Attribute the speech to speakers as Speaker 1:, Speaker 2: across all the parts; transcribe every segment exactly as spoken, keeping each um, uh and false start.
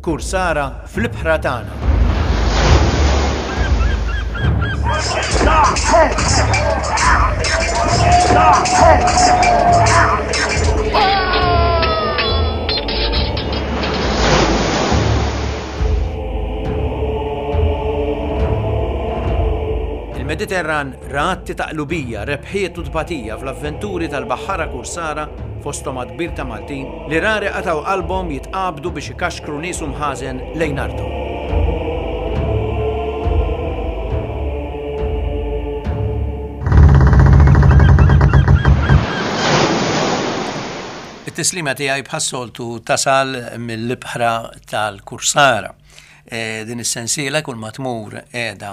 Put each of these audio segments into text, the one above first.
Speaker 1: Kursara fl-ibħra tagħna. Il-Mediterran ra atti ta' qlubija, rebħiet u tbatija fl-avventuri tal-baħħara kursara, fosthom għadd kbir ta' Maltin, li rari qatgħu qalbhom jitqabdu biex ikaxkru nies u mħażen lejn arthom. It-tislima tiegħi bħas-soltu tasal mill-ibħra tal-Kursara. E, din is-sensiela kull ma tmur qiegħda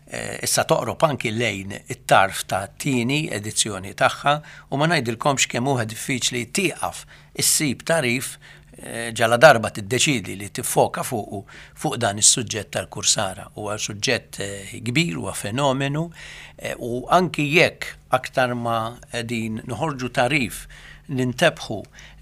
Speaker 1: e, issa toqrob anki lejn it-tarf ta' tieni edizzjoni tagħha u ma ngħidilkomx kemm huwa diffiċli tieqaf issib tagħrif e, ġala darba tiddeċidi li tiffoka fuqu fuq dan is-suġġett tal-Kursara. Huwa suġġett e, kbir, huwa fenomenu e, u anki jekk aktar ma qegħdin noħorġu tagħrif nintebħu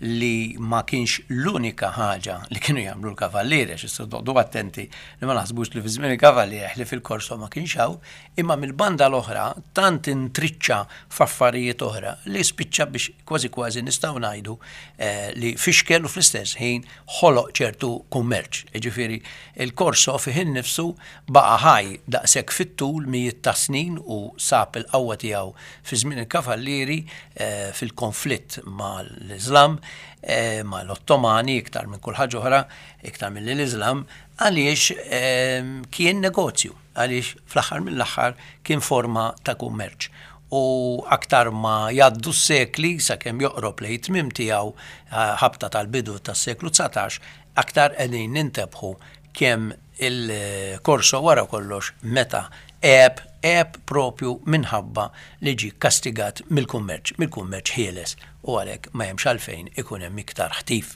Speaker 1: li ma kienx l-unika ħaġa li kienu jagħmlu l-kavallieri, għax issa noqogħdu attenti li ma naħsbux li fi żmien il-kavallieri li fil-korso ma kienx hawn, imma mill-banda l-oħra tant intriċċa f'affarijiet oħra li spiċċa biex kważi kważi nistgħu ngħidu, eh, li fixkel u fl-istess ħin ħoloq ċertu kummerċ. Jiġifieri il-korso fih innifsu baqa' ħaj daqshekk fit-tul mijiet ta' snin u sab il-qawwa tiegħu fi żmien il-kavallieri, eh, fil-konflitt mal-Islam, eh, mal-Ottomani, iktar minn kull ħaġa oħra, iktar mill l-Islam, għaliex, ehm, kien negozju, għaliex fl-aħħar mill-aħħar kien forma ta' kummerċ. U aktar ma jgħaddu s-sekli sakemm joqrob lejn tmiem tiegħu, eh, ħabta tal-bidu tas-seklu dsatax, aktar qegħdin nintebħu kemm il-korso wara kollox meta għeb, għeb propju minħabba li ġie kastigat mill-kummerċ, mill-kummerċ ħieles, u għalhekk ma hemmx għalfejn ikun hemm iktar ħtif.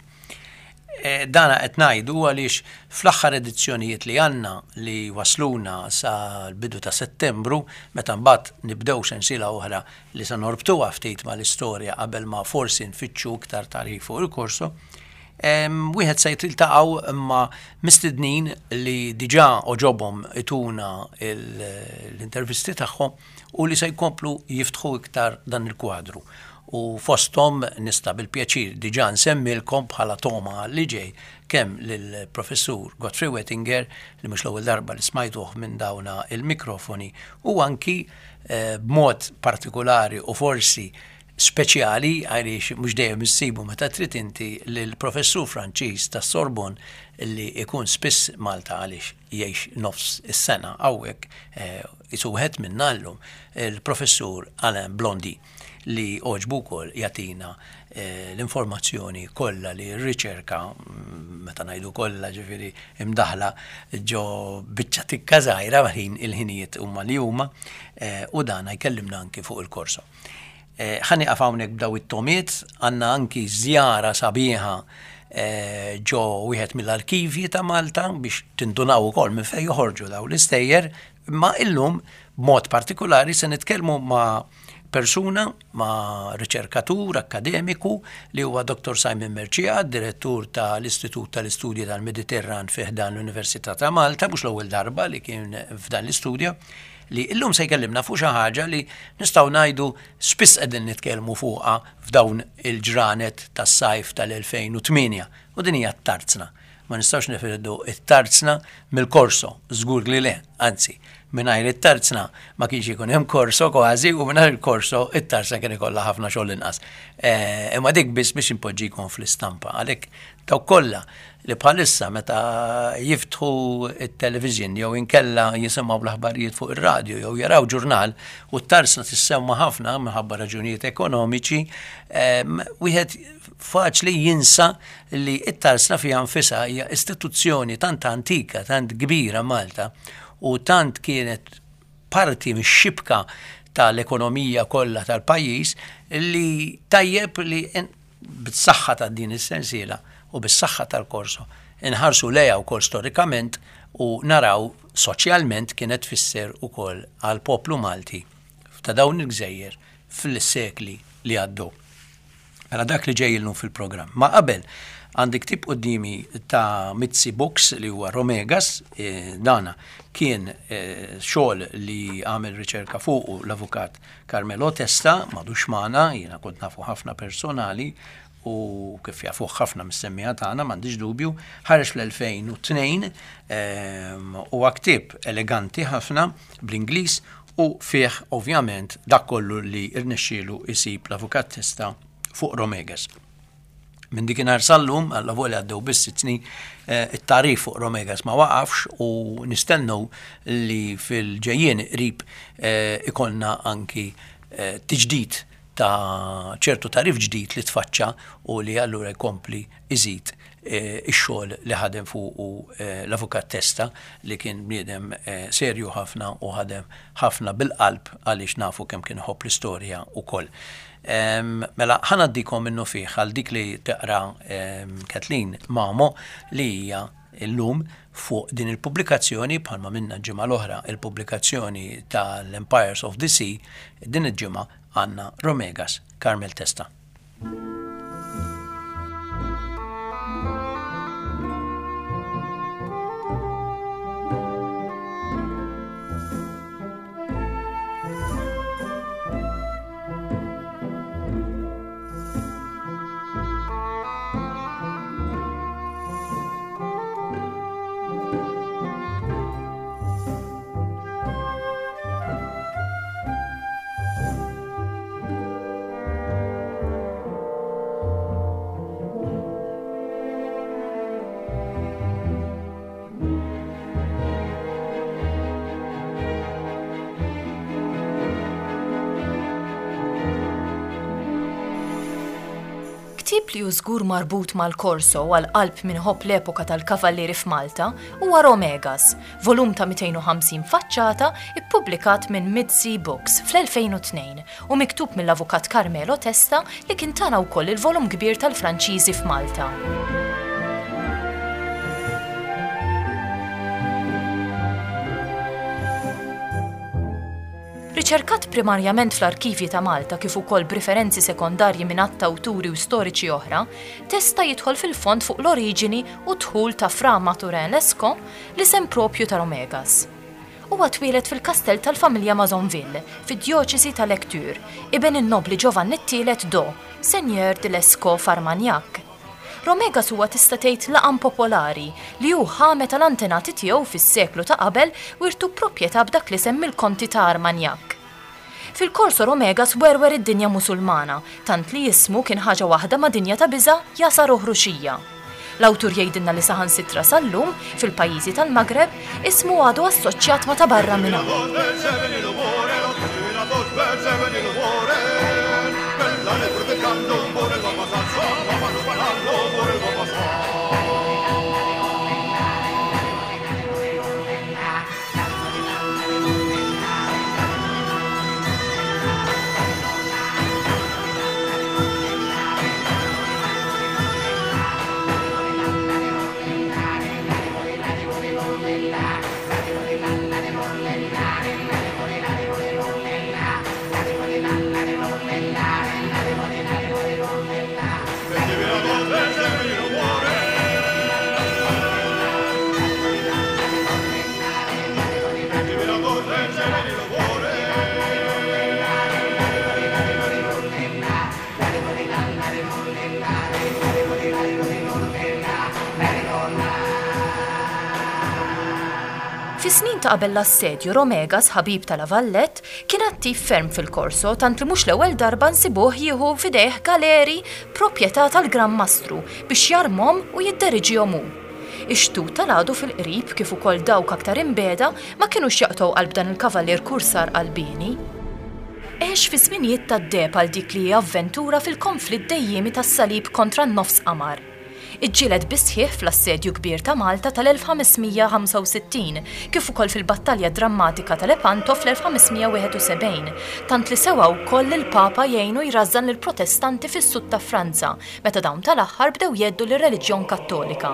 Speaker 1: E, dana qed ngħidu għaliex fl-aħħar edizzjonijiet li għandna li wasluna sa l-bidu ta' Settembru, meta mbagħad nibdew sensiela oħra li se norbtuha ftit mal-istorja qabel ma forsi nfittxu iktar tagħrif fuq il-korso, em, wieħed se jiltaqgħu ma' mistednin li diġà oġobhom ituna il-, l-intervisti tagħhom u li se jkomplu jiftħu iktar dan il-kwadru. U fosthom nista' bil-pjaċir diġà nsemmilkom bħala toma li ġej kemm lill-professur Godfrey Wettinger, li mhux l-ewwel darba li smajtuh minn dawna il-mikrofoni, u anki, eh, b'mod partikolari u forsi speċjali għaliex mhux dejjem issibu meta trid inti lill-professur Franċiż tas-Sorbonne li ikun spiss Malta għaliex jgħix nofs is-sena hawnhekk, eh, isu wieħed minna llum, il-professur Alain Blondy, li għoġbu wkoll jagħtina, eh, l-informazzjoni kollha li r-riċerka, mm, meta ngħidu kollha ġifieri imdaħla ġo biċċa tikka żgħira ħin il-ħinijiet huma li huma, eh, u dan jkellimna anki fuq il-korso. Eh, ħa nieqaf hawnhekk b'daw it-tomiet, għandna anki żjara sabiħa, eh, ġo wieħed mill-arkivji ta' Malta biex tindunaw ukoll minn fejn joħorġu daw l-istejjer, imma illum b'mod partikolari se nitkellmu ma' persuna, ma' riċerkatur akademiku li huwa Doktor Simon Mercieca, direttur tal-Istitut tal-Istudji tal-Mediterran fi ħdan l-Università ta' Malta, mhux l-ewwel darba li kien f'dan l-istudju, li illum se jkellimna fuq xi ħaġa li nistgħu ngħidu spiss qegħdin nitkellmu fuqha f'dawn il-ġranet tas-sajf tal-elfejn u tmienja, u din hija t-tarzna. Ma nistgħux nifirdu t-tarzna mill-korso, żgur li le, anzi, mingħajr it-tarzna ma kienx ikun hemm korso kważi, u mingħajr il-korso it-tarzna kien ikollha ħafna xogħol inqas. Eh, imma dik biss biex inpoġġikom fl-istampa, għalhekk dawk kollha li bħalissa meta jiftħu it-television jew inkella jisimgħu l-aħbarijiet fuq ir-radju jew jaraw ġurnal u t-tarzna tissemma ħafna minħabba raġunijiet ekonomiċi, em, wieħed faċli jinsa li t-tarzna fiha nfisha hija istituzzjoni tant antika, tant kbira Malta, u tant kienet parti mix-xibka tal-ekonomija kollha tal-pajjiż li tajjeb li en-, bis-saħħa ta' din is-sensiela u bis-saħħa tal-korso inħarsu lejha wkoll storikament u naraw soċjalment kienet tfisser ukoll għall-poplu Malti ta' dawn il-gżejjer fil-sekli li għaddew. Mela dak li ġej illum fil-programm. Ma qabel għandi ktieb quddiemi ta' Mizzi Books li huwa Romegas, e, dana kien e, xogħol li għamel riċerka fuqu l-avukat Carmelo Testa, m'għadux magħna, jiena kont nafu ħafna personali u kif jafuh ħafna mis-semmiegħa tagħna m'għandix dubju, ħareġ fl-elfejn u tnejn, huwa ktieb eleganti ħafna bl-Ingliż u fih ovvjament dak kollu li rnexxielu isib l-avukat Testa fuq Romegas. Minn dikinhar sal-lum, għalla għaddew biss sitt snin, eh, it-tagħrif fuq Romegas ma waqafx u nistennu li fil-ġejjien qrib eh, ikollna anki eh, tiġdid ta' ċertu tagħrif ġdid li tfaċċa u li allura jkompli iżid ix-xogħol li ħadem fuq l-avukat Testa, li kien bniedem serju ħafna u ħadem ħafna bil-qalb għaliex nafu kemm kien iħobb l-istorja ukoll. Mela ħa ngħaddikom minnufih għal dik li taqra Kathleen Mamo, li hija illum fuq din il-pubblikazzjoni. Bħalma minna ġimgħa l-oħra il-pubblikazzjoni tal-Empires of the Sea, din il-ġimgħa għandna Romegas, Carmel Testa.
Speaker 2: Ktieb li hu żgur marbut mal-Korso għal qalb min iħobb l-epoka tal-Kavallieri f'Malta huwa Romegas, volum ta' mitejn u ħamsin faċċata ippubblikat minn Mid-Sea Books fl-elfejn u tnejn u miktub mill-avukat Carmelo Testa, li kien tana wkoll il-volum kbir tal-Franċiżi f'Malta. Riċerkat primarjament fl-arkivji ta' Malta kif ukoll b'riferenzi sekondarji minn għadd awturi u storiċi oħra, Testa jidħol fil-fond fuq l-oriġini u dħul ta' Fra Maturin Lesco, l-isem propju ta' Romegas. Huwa twieled fil-kastell tal-familja Mazonville, fid-djoċesi ta' Lecture, iben in-nobli Giovanni t-tielet d'O, Seigneur de Lesco f'Armagnac. Romegas huwa tista' tgħid laqam popolari li hu ħa meta l-antenati tiegħu fis-seklu ta' qabel wirtu proprjetà b'dak l-isem mill-konti ta' Armagnac. Fil-Korso Romegas werwer id-dinja Musulmana, tant li jismu kien ħaġa waħda ma' dinja ta' biża', jasar u ħruxija. L-awtur jgħidilna li saħansitra sal-lum, fil-pajjiżi tal-Magreb, ismu għadu assoċjat ma' ta' barra minn hawn. Fis-snin ta' qabel l-assedju, Romegas, ħabib ta' La Vallette, kien attiv ferm fil-Korso, tant li mhux l-ewwel darba nsibuh jieħu f'idejh galeri proprjetà tal-Gran Mastru biex jarmhom u jidderiġihom hu. Ix-xtut tal-għadu fil-qrib kif ukoll dawk aktar imbiegħda ma kinux jaqtgħu qalb dan il-kavallier kursar qalbieni. Għex fi żminijiet tad-deheb għal dik li hija avventura fil-konflitt dejjiemi tas-salib kontra n-nofs qamar. Iġġieled bis-sħiħ fl-assedju kbir ta' Malta tal-elf ħames mija ħamsa u sittin kif ukoll fil-battalja drammatika ta' Lepanto fl-elf ħames mija wieħed u sebgħin, tant li sewa wkoll il-Papa jgħinu jrażżan lill-Protestanti fis-sud ta' Franza meta dawn tal-aħħar bdew jheddu lir-reliġjon Kattolika.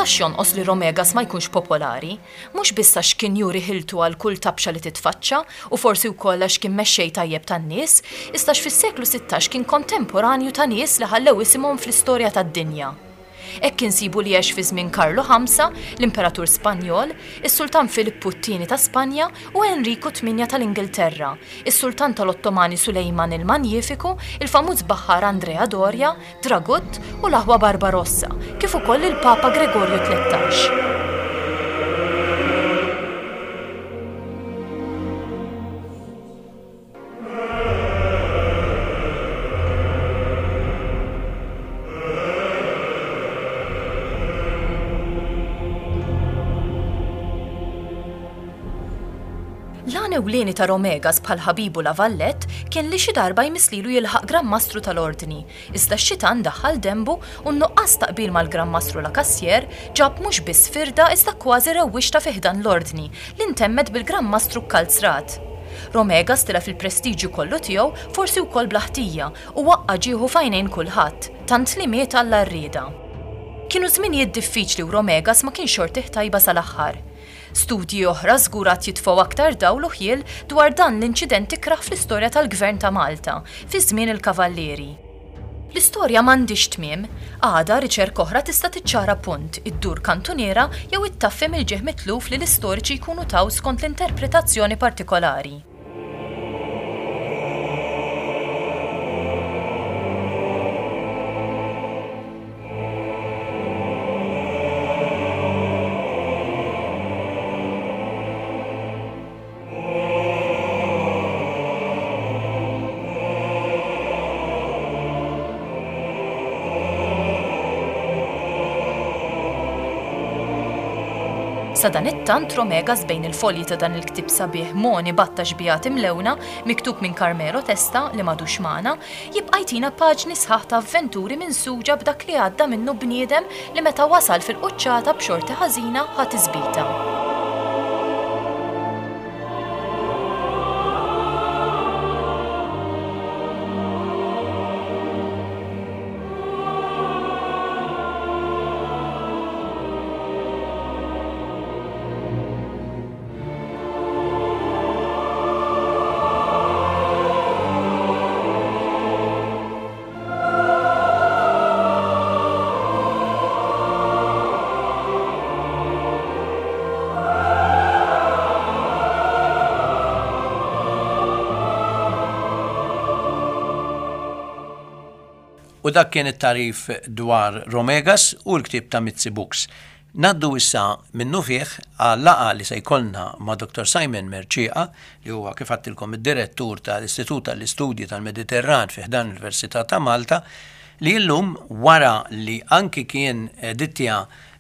Speaker 2: setax jonqos li Romegas ma jkunx popolari, mhux biss għax kien juri ħiltu għal kull tabxa li titfaċċa u forsi wkoll għax kien mexxej tajjeb tan-nies, iżda fis-seklu sittax kien kontemporanju ta' nies li ħallew isimhom fl-istorja tad-dinja. Hekk insibu li għex fi żmien Karlu Ħamsa, l-Imperatur Spanjol, is-Sultan Filippu t-tieni ta' Spanja u Enriku tmienja tal-Ingilterra, is-Sultan tal-Ottomani Sulejman il-Manjifiku, il-famuż baħħar Andrea Doria, Dragut u l-aħwa Barbarossa, kif ukoll il-Papa Gregorju tlettax. L-għan ewlieni ta' Romegas bħal ħabibu La Vallette kien li xi darba jmisslilu jilħaq Gran Mastru tal-Ordni, iżda x-xitan daħħal dembu u n-nuqqas ta' qbil mal-Gran Mastru La Cassière ġab mhux biss firda iżda kważi rewwixta fi ħdan l-Ordni li ntemmet bil-Gran Mastru kkalzrat. Romegas tilef il-prestiġju kollu tiegħu forsi wkoll bla ħtija u waqqa' ġieħu f'għajnejn kulħadd, tant li miet għall-għarrieda. Kienu żminijiet diffiċli u Romegas ma kienx xortih tajba sal-aħħar. Studji oħra żgur għad jitfgħu aktar dawl u ħjiel dwar dan l-inċident ikrah fl-istorja tal-Gvern ta' Malta fi żmien il-Kavallieri. L-istorja m'għandix tmiem, għada riċerka oħra tista' tiċċara punt, iddur kantuniera jew ittaffi mill-ġieħ mitluf li l-istoriċi jkunu taw skont l-interpretazzjoni partikolari. Sadanittant Romegas bejn il-folji ta' dan il-ktieb sabiħ Moni Batta Xbijat Imlewna, miktub minn Carmelo Testa li m'għadux magħna, jibqa' jtina paġni sħaħ ta' avventuri minsuġa b'dak li għadda minnu bniedem li meta wasal fil-quċċata b'xorti ħażina ħa tisbita.
Speaker 1: U dak kien it-tarif dwar Romegas u l-ktieb ta' Mizzi Books. Naddu issa minnu fih għal laqgħa li se jkollna ma' Doktor Simon Mercieca, li huwa kif għedtilkom id-direttur tal-Istitut tal-Istudji tal-Mediterran fi ħdan l-Università ta' Malta, li llum wara li anki kien edittja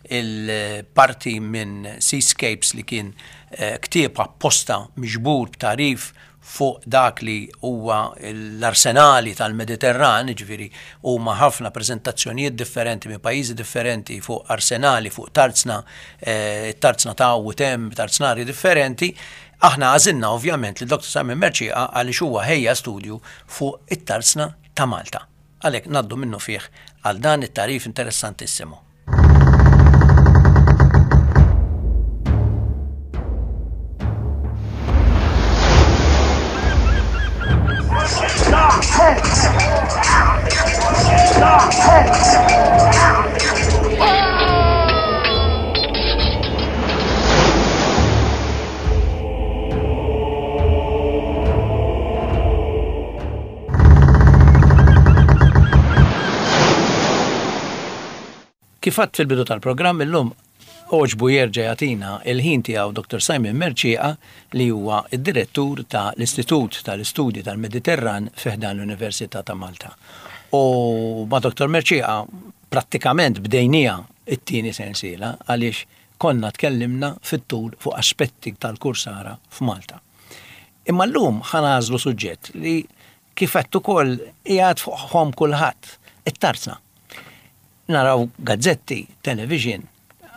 Speaker 1: il-parti minn Seascapes li kien, eh, ktieb apposta miġbur b'tarif fuq dak li huwa l-arsenali tal-Mediterran, jiġifieri huma ħafna preżentazzjonijiet differenti minn pajjiżi differenti fuq arsenali, fuq tarzna, eh, tarzna ta' u tem, tarznari differenti. Aħna għażilna ovvjament li Doktor Simon Mercieca għaliex huwa ħejja studju fuq it-tarzna ta' Malta. Għalhekk ngħaddu minnu fih għal dan it-tarif interessantissimu. Kif għadt fil-bidu tal-programm illum oġbu jerġa' jagħtina il-ħin tiegħu Doktor Simon Mercieca li huwa id-direttur tal-Istitut tal-Istudji tal-Mediterran fi ħdan l-Università ta' Malta. U ma' Doktor Mercieca prattikament bdejnija it-tieni sensiela għaliex konna tkellimna fit-tul fuq aspetti tal-kursara f'Malta. Imma llum ħanażlu suġġett li kif għedt ukoll qiegħed fuq ħom kulħadd, it-tarzna. Naraw gazzetti, television,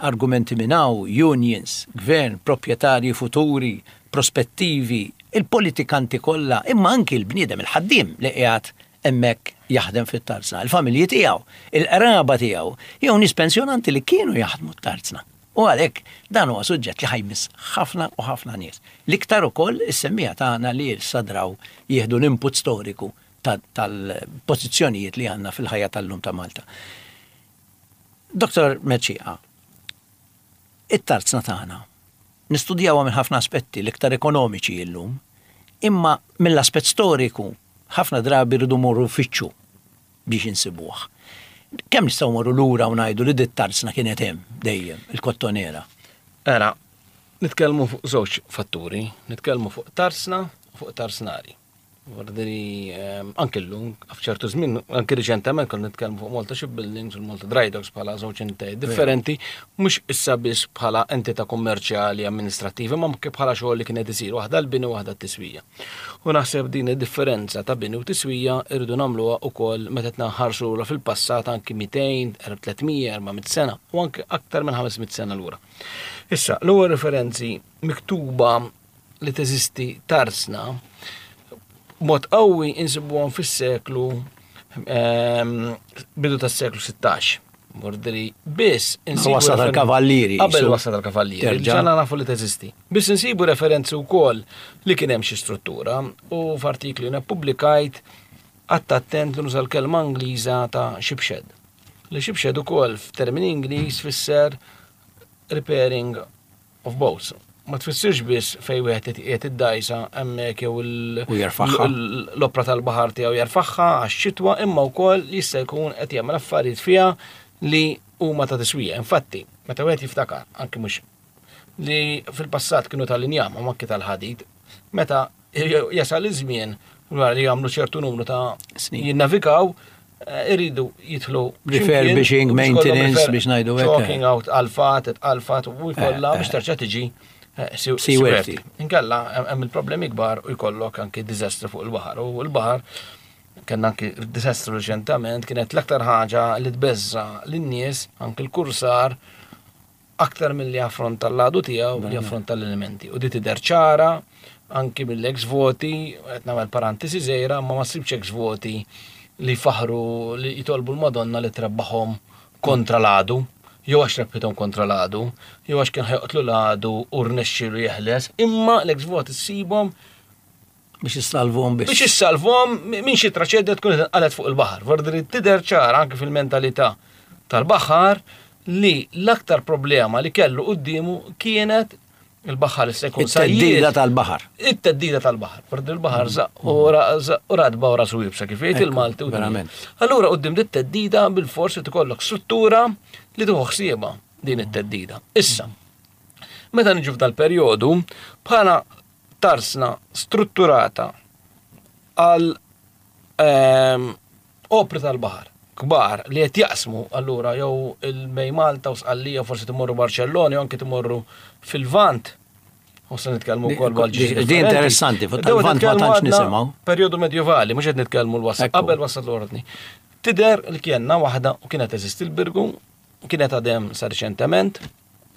Speaker 1: argumenti minn hawn, unions, gvern, proprjetarji futuri, prospettivi, il-politikanti kollha, imma anki l-bniedem, il-ħaddiem li qiegħed hemmhekk jaħdem fit-tarzna, il-familji tiegħu, il-qraba tiegħu, jew nies pensjonanti li kienu jaħdmu t-tarzna. U għalhekk dan huwa suġġett li ħa jmiss ħafna u ħafna nies. L-iktar ukoll is-semmiegħa tagħna li sadraw jieħdu l-input storiku tal-pożizzjonijiet li għandna fil-ħajja tal-lum ta' Malta. Doktor Mercieca, it-tarzna tagħna nistudjawha minn ħafna aspetti, l-iktar ekonomiċi illum, imma mill-aspett storiku ħafna drabi rridu morru fitxu biex insibuh. Kemm nistgħu morru lura u ngħidu li dit-tarzna kienet hemm dejjem, il-Kottonera?
Speaker 3: Era, nitkellmu fuq żewġ fatturi, nitkellmu fuq tarsna u fuq tarsnari. Vordiri, anke llum, f'ċertu żmien, anke riċentement konna nitkellmu fuq Malta Shipbuildings u Malta Dry Docks bħala żewġ entitajiet differenti, mhux issa biss bħala entità kummerċjali amministrattiva, ma anke bħala xogħol li kienet isir, waħda l-bini u waħda t-tiswija. U naħseb din id-differenza ta' bini u tiswija irridu nagħmluha wkoll meta qed nħarsu lura fil-passat anke mitejn, tliet mija, erba' mitt sena u anke aktar minn ħames mitt sena lura. Issa, l-ewwel referenzi miktuba li teżisti tarsna mod qawwi insibuhom fis-seklu ehm, bidu tas-seklu sittax. Mordiri biss
Speaker 1: insibu wasla tal-kavallieri.
Speaker 3: Qabel wasla tal-kavallieri.
Speaker 1: Terġa'.
Speaker 3: Ġana nafu li teżisti. Biss insibu referenzi wkoll li kien hemm xi struttura u f'artikli nippubblikajt għadt attent li nuża l-kelma Ingliża ta' shipshed. Li shipshed ukoll f'termini Ingliż fisser repairing of boats. Ma tfissirx biss fej wieħed qiegħed id-dajsa hemmhekk jew il-
Speaker 1: U jerfagħha.
Speaker 3: l- l-opra tal-baħar tiegħu jerfagħha għax-xitwa, imma wkoll jista' jkun qed jagħmel affarijiet fiha li huma ta' tiswija. Infatti, meta wieħed jiftakar, anke mhux li fil-passat kienu tal-injam u anke tal-ħadid, meta jasal iż-żmien wara li jagħmlu ċertu numru ta'
Speaker 1: snin.
Speaker 3: Jinnavigaw, eh, iridu jidħlu
Speaker 1: refurbishing,
Speaker 3: x'imkien, biex kollhom
Speaker 1: maintenance,
Speaker 3: refer-
Speaker 1: biex ngħidu hekk.
Speaker 3: Chalking out, alfat, alfat, u jkollha
Speaker 1: Eh,
Speaker 3: biex terġa' tiġi eh,
Speaker 1: seaworthy.
Speaker 3: Seaworthy. Inkella hemm hemm il-problemi kbar u jkollok anke diżastru fuq il-baħar. U l-baħar kellna anke diżastru reċentament, kienet l-aktar ħaġa li tbeżza lin-nies, anke l-kursar, aktar mill-li affronta l-għadu tiegħu li affronta l-elementi. U di tidher ċara anki mill-ex voti, qed nagħmel parentesi żgħira, ma ma ssibx ex voti li faħru li jitolbu l-Madonna li trebbaħhom kontra l-għadu, jew għax rebħithom kontra l-għadu, jew għax kien ħa joqtlu l-għadu u rnexxielu jeħles, imma l-ex voti ssibhom
Speaker 1: biex issalvuhom biss.
Speaker 3: Biex issalvuhom minn xi traċedja tkun inqalgħet fuq il-baħar. Vordiri tidher ċara anke fil-mentalità tal-baħar li l-aktar problema li kellu quddiemu kienet il-baħar issa jkun
Speaker 1: it-teddida
Speaker 3: sajjied.
Speaker 1: Tal-baħar.
Speaker 3: It-teddida tal-baħar. Vordiri il-baħar żaq u ra- żaq u radba u rasu iebsa, kif jgħid
Speaker 1: Ekku,
Speaker 3: il-Malti. U
Speaker 1: verament.
Speaker 3: Allura quddiem dit teddida bil-forsi tikollok struttura li tieħu ħsiebha din it-teddida. Issa, meta niġu f'dal perjodu, bħala tarsna strutturata għal ehm, opri tal-baħar kbar li qed jaqsmu allura jew il-bejn Malta u Sqallija, forsi timorru Barcellona jew anke timorru fil-Vant. U se nitkellmu wkoll
Speaker 1: Di-
Speaker 3: għal
Speaker 1: di interessanti, fuq tal-Vant ma tantx nisimgħu.
Speaker 3: Perjodu medjevali, mhux qed nitkellmu l-wasl,
Speaker 1: Ekku.
Speaker 3: qabel wasal l-ordni. Tidher li kienna waħda u kienet teżisti l-Birgu, kienet għadem sa reċentement,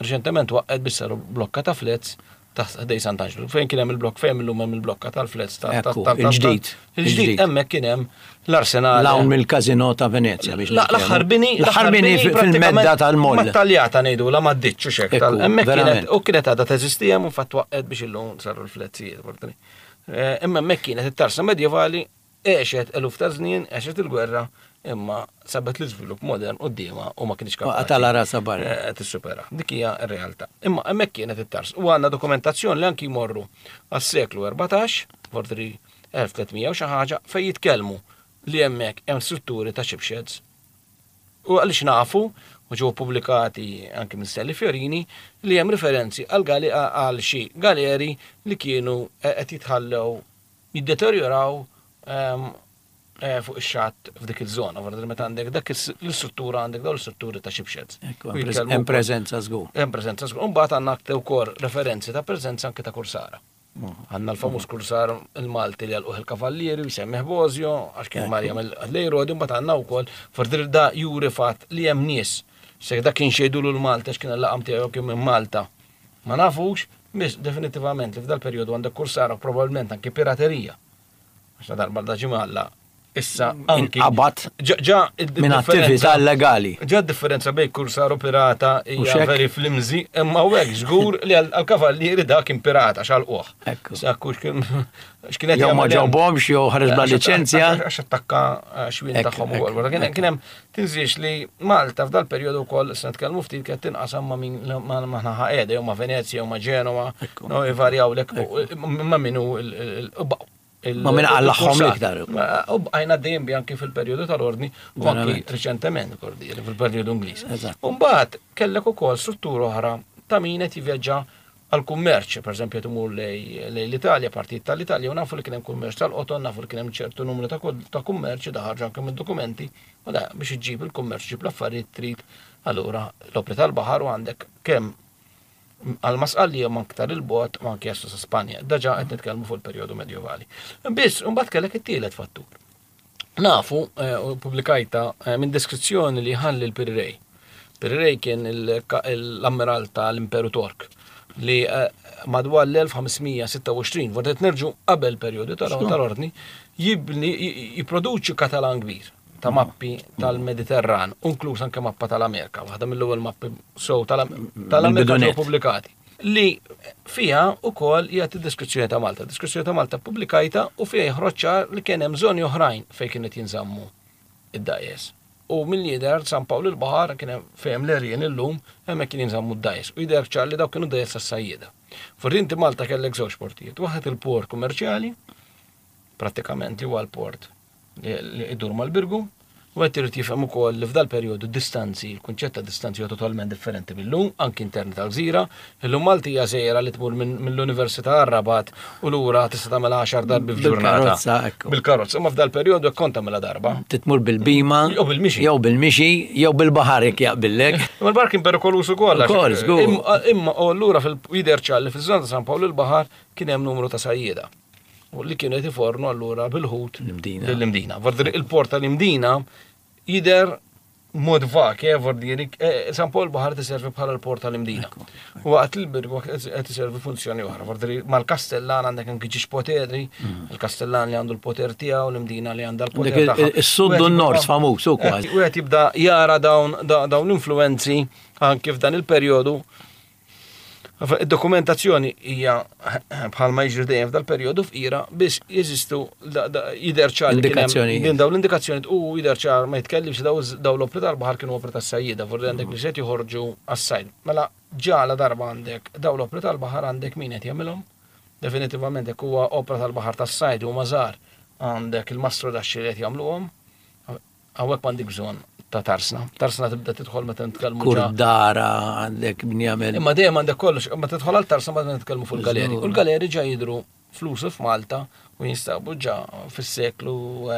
Speaker 3: reċentement waqgħet biex saru blokka ta' flats taħt ħdejn Sant'Anġlu. Fejn kien hemm il-blokk, fejn illum hemm il-blokka tal-flats ta' ta'
Speaker 1: Ekku,
Speaker 3: ta' ta'
Speaker 1: il-ġdid,
Speaker 3: il-ġdid,
Speaker 1: il-ġdid.
Speaker 3: hemmhekk kien hemm l-arsenal.
Speaker 1: L-hawn mill-Kazino ta' Venezia biex
Speaker 3: La- L-aħħar bini,
Speaker 1: l-aħħar bini fil-medda tal-moll.
Speaker 3: Mat-taljata ngħidu la maddiċ u xek.
Speaker 1: Ekku,
Speaker 3: Hemmhekk kienet
Speaker 1: verament.
Speaker 3: u kienet għadha teżisti hemm u fatt waqgħet biex illum saru l-flettijiet. Portani. Eh, Imma hemmhekk kienet it-tarsa medjevali, għexet eluf ta' żnien, għexet il-gwerra, imma sabet l-iżvilupp modern quddiemha u ma kienx kapaċi.
Speaker 1: Qatala rasa barra.
Speaker 3: Eh, Tissupera. Dik hija r-realtà. Imma hemmhekk kienet it-tars. U għandna dokumentazzjoni li anki jmorru għas-seklu erbatax, vordri elf u tliet mija u xi ħaġa, fejn jitkellmu li hemmhekk hemm strutturi ta' shipsheds. U għaliex nafu, u ġew pubblikati anke minn Stanley Fiorini, li hemm referenzi għal gali għal xi galeri li kienu eh, qed jitħallew jiddeterjoraw ehm, eh, fuq ix-xatt f'dik iż-żona. Vordri meta għandek dak is- l-istruttura, għandek dawn l-istrutturi ta' shipsheds.
Speaker 1: Ekku,
Speaker 3: U
Speaker 1: hemm prez-
Speaker 3: jitkellmu
Speaker 1: hemm
Speaker 3: wkoll-
Speaker 1: preżenza żgur.
Speaker 3: Hemm preżenza żgur. Imbagħad għandna aktar wkoll referenzi ta' preżenza anke ta' kursara. Għandna l-famuż kursar il-Malti li għalquh il-Kavallieri u jsemmih Bozio, għax kien Marja mill-Lejrodi, mbagħad għandna wkoll fordir da juri fatt li hemm nies. Se dak kien xejdulu l-Malta għax kien l-laqam tiegħu kien minn Malta. Ma nafux, biss definitivament li f'dal perjodu għandek kursara u probabbilment anke piraterija. Għax la darba da ġimalla Issa anki
Speaker 1: Inqabad
Speaker 3: Ġa
Speaker 1: minn attività illegali.
Speaker 3: Ġa differenza bejn kursar u pirata
Speaker 1: U
Speaker 3: hija
Speaker 1: xek?
Speaker 3: very flimsy, imma u hekk żgur li għal-kavallieri da kien pirata x'għalquh.
Speaker 1: Ekku.
Speaker 3: Sakku x'kien x'kienet
Speaker 1: Jew ma
Speaker 3: jagħmel hemm.
Speaker 1: ġobhomx jew ħareġ bla
Speaker 3: Għax-
Speaker 1: liċenzja.
Speaker 3: Għax attakka eh, xwien
Speaker 1: Ekk,
Speaker 3: tagħhom
Speaker 1: ekk,
Speaker 3: ukoll. Wara Kien
Speaker 1: ekk.
Speaker 3: kien hemm tinżiex li Malta f'dal perjodu wkoll se nitkellmu ftit kienet tinqasam ma' min ma' ma' naħa qiegħda jew ma' Venezja jew ma' Ġenova,
Speaker 1: Ekku.
Speaker 3: no ivarjaw lek ma' min hu il- il- il- il-
Speaker 1: Ma' min għallaħħom
Speaker 3: il-kursar.
Speaker 1: l-iktar.
Speaker 3: Ma- U bqajna dejjem bi anki fil-perjodu tal-ordni u anki
Speaker 1: Verament.
Speaker 3: riċentement kordi, fil-perjodu Ingliż.
Speaker 1: Eżatt.
Speaker 3: U mbagħad kellek ukoll struttura oħra ta' min qed jivvjaġġa għal kummerċ, per eżempju imur lej lej l-Italja, partijiet tal-Italja, u nafu li kien hemm kummerċ tal-qoton, nafu li kien hemm ċertu numru ta' kod- ta' kummerċ, da ħarġu anke mid-dokumenti, u da biex iġġib il-kummerċ, ġib l-affarijiet trid, allura l-opri tal-baħar u għandek kemm għal Sqallija ma aktar il-bot ma anke jaslu sa Spanja. Daġa qed nitkellmu fuq il-perjodu medjevali. Biss, mbagħad kellek it-tielet fattur. Nafu, eh, u publikajta eh, minn deskrizzjoni li ħalli l-Piri Reis. Piri Reis kien il- l-ammiral tal-Imperu Tork li eh, madwar l-elf ħames mija sitta u għoxrin, vordet nerġu qabel perjodu tal-ordni, jibni, jiproduċi katalan kbir ta' mappi tal-Mediterran, inkluż anke mappa tal-Amerika, waħda mill-ewwel mappi so tal-Amerika
Speaker 1: Mill-bidunet.
Speaker 3: ġew pubblikati. Li fiha ukoll jagħti deskrizzjoni ta' Malta. Deskrizzjoni ta' Malta pubblikajta u fiha joħroġ ċar li kien hemm żoni oħrajn fejn kienet jinżammu id-dgħajjes. U mill-lider San Pawl il-Baħar kien hemm fejn l-erjen illum hemmhekk kien jinżammu d-dgħajjes. U jidher ċar li dawk kienu dgħajjes tas-sajjieda. Fortinti Malta kellek żewġ portijiet. Waħed il-port kummerċjali, prattikament li huwa l-port li li idur mal-Birgu, u qed irid jifhem ukoll li f'dal perjodu distanzi, il-kunċett ta' distanzi huwa totalment differenti mill-lum, anki interni tal-gżira. Illum Malti hija żgħira li tmur minn- mill-Università għar-Rabat u lura tista' tagħmel għaxar darbi f'ġurnata.
Speaker 1: Bil-karozza, ekku.
Speaker 3: Bil-karozza, imma f'dal perjodu hekk kont tagħmilha darba.
Speaker 1: Titmur bil-bima.
Speaker 3: Jew bil-mixi.
Speaker 1: Jew bil-mixi, jew bil-baħar jekk jaqbillek.
Speaker 3: Imma l-bar kien perikoluż ukoll. għax-
Speaker 1: Ukoll, żgur.
Speaker 3: Imma imma u allura fil-jidher ċar li fiż-żona ta' San Pawl il-Baħar kien hemm numru ta' sajjieda. U li kienu qed ifornu allura bil-ħut
Speaker 1: L-Imdina.
Speaker 3: Lill-Imdina. Vordiri il-port tal-Imdina jidher mod vak, eh, vordiri, eh, San Pawl il-Baħar tiservi bħala l-port tal-Imdina. U waqt il-Birgu qed iservi funzjoni oħra. Vordiri mal-Kastellan għandek anki ġiex poteri, il-Kastellan li għandu l-poter tiegħu, l-Imdina li għandha l-poter
Speaker 1: Għandek il-
Speaker 3: tagħha.
Speaker 1: is-sud u n-nord famuż u kważi.
Speaker 3: U qed jibda jara dawn da- dawn l-influenzi anke f'dan il-perjodu. Id-dokumentazzjoni hija bħalma jiġri dejjem f'dal perjodu fqira biss jeżistu da- da- jidher ċar li kien hemm
Speaker 1: Indikazzjonijiet.
Speaker 3: din dawn l-indikazzjoni u jidher ċar ma jitkellimx daw daw l-opri tal-baħar kienu opri tas-sajjieda, forsi għandek li se joħorġu għas-sajd. Mela ġala darba għandek daw l-opri tal-baħar għandek min qed jagħmilhom. Definitivament jekk huwa opra tal-baħar tas-sajd u mażar għandek il-mastru daxxi li qed jagħmluhom. Hawnhekk m'għandek bżonn ta' tarsna. Tarsna tibda tidħol meta nitkellmu ġa.
Speaker 1: Kurdara għandek min jagħmel.
Speaker 3: Imma dejjem għandek kollox, imma tidħol għal tarsna meta nitkellmu fuq il-galeri. U l-galeri ġa jidru flusu f'Malta u jinstabu ġa fis-seklu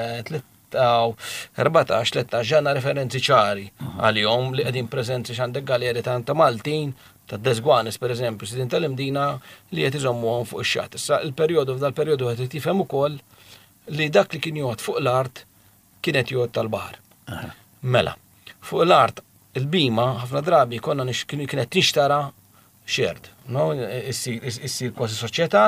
Speaker 3: erbatax, tlettax ġanna referenzi ċari għalihom li qegħdin preżenti x'għandek galeri ta' ta' Maltin, ta' Desguanes per eżempju, sidin tal-Imdina li qed iżommuhom fuq ix-xatt. Issa il-perjodu f'dal perjodu qed tifhem ukoll li dak li kien jgħod fuq l-art kienet jgħod tal-baħar. Mela, fuq l-art il-bima ħafna drabi konna nix, kienet tinxtara shared, no? Issir issir kważi soċjetà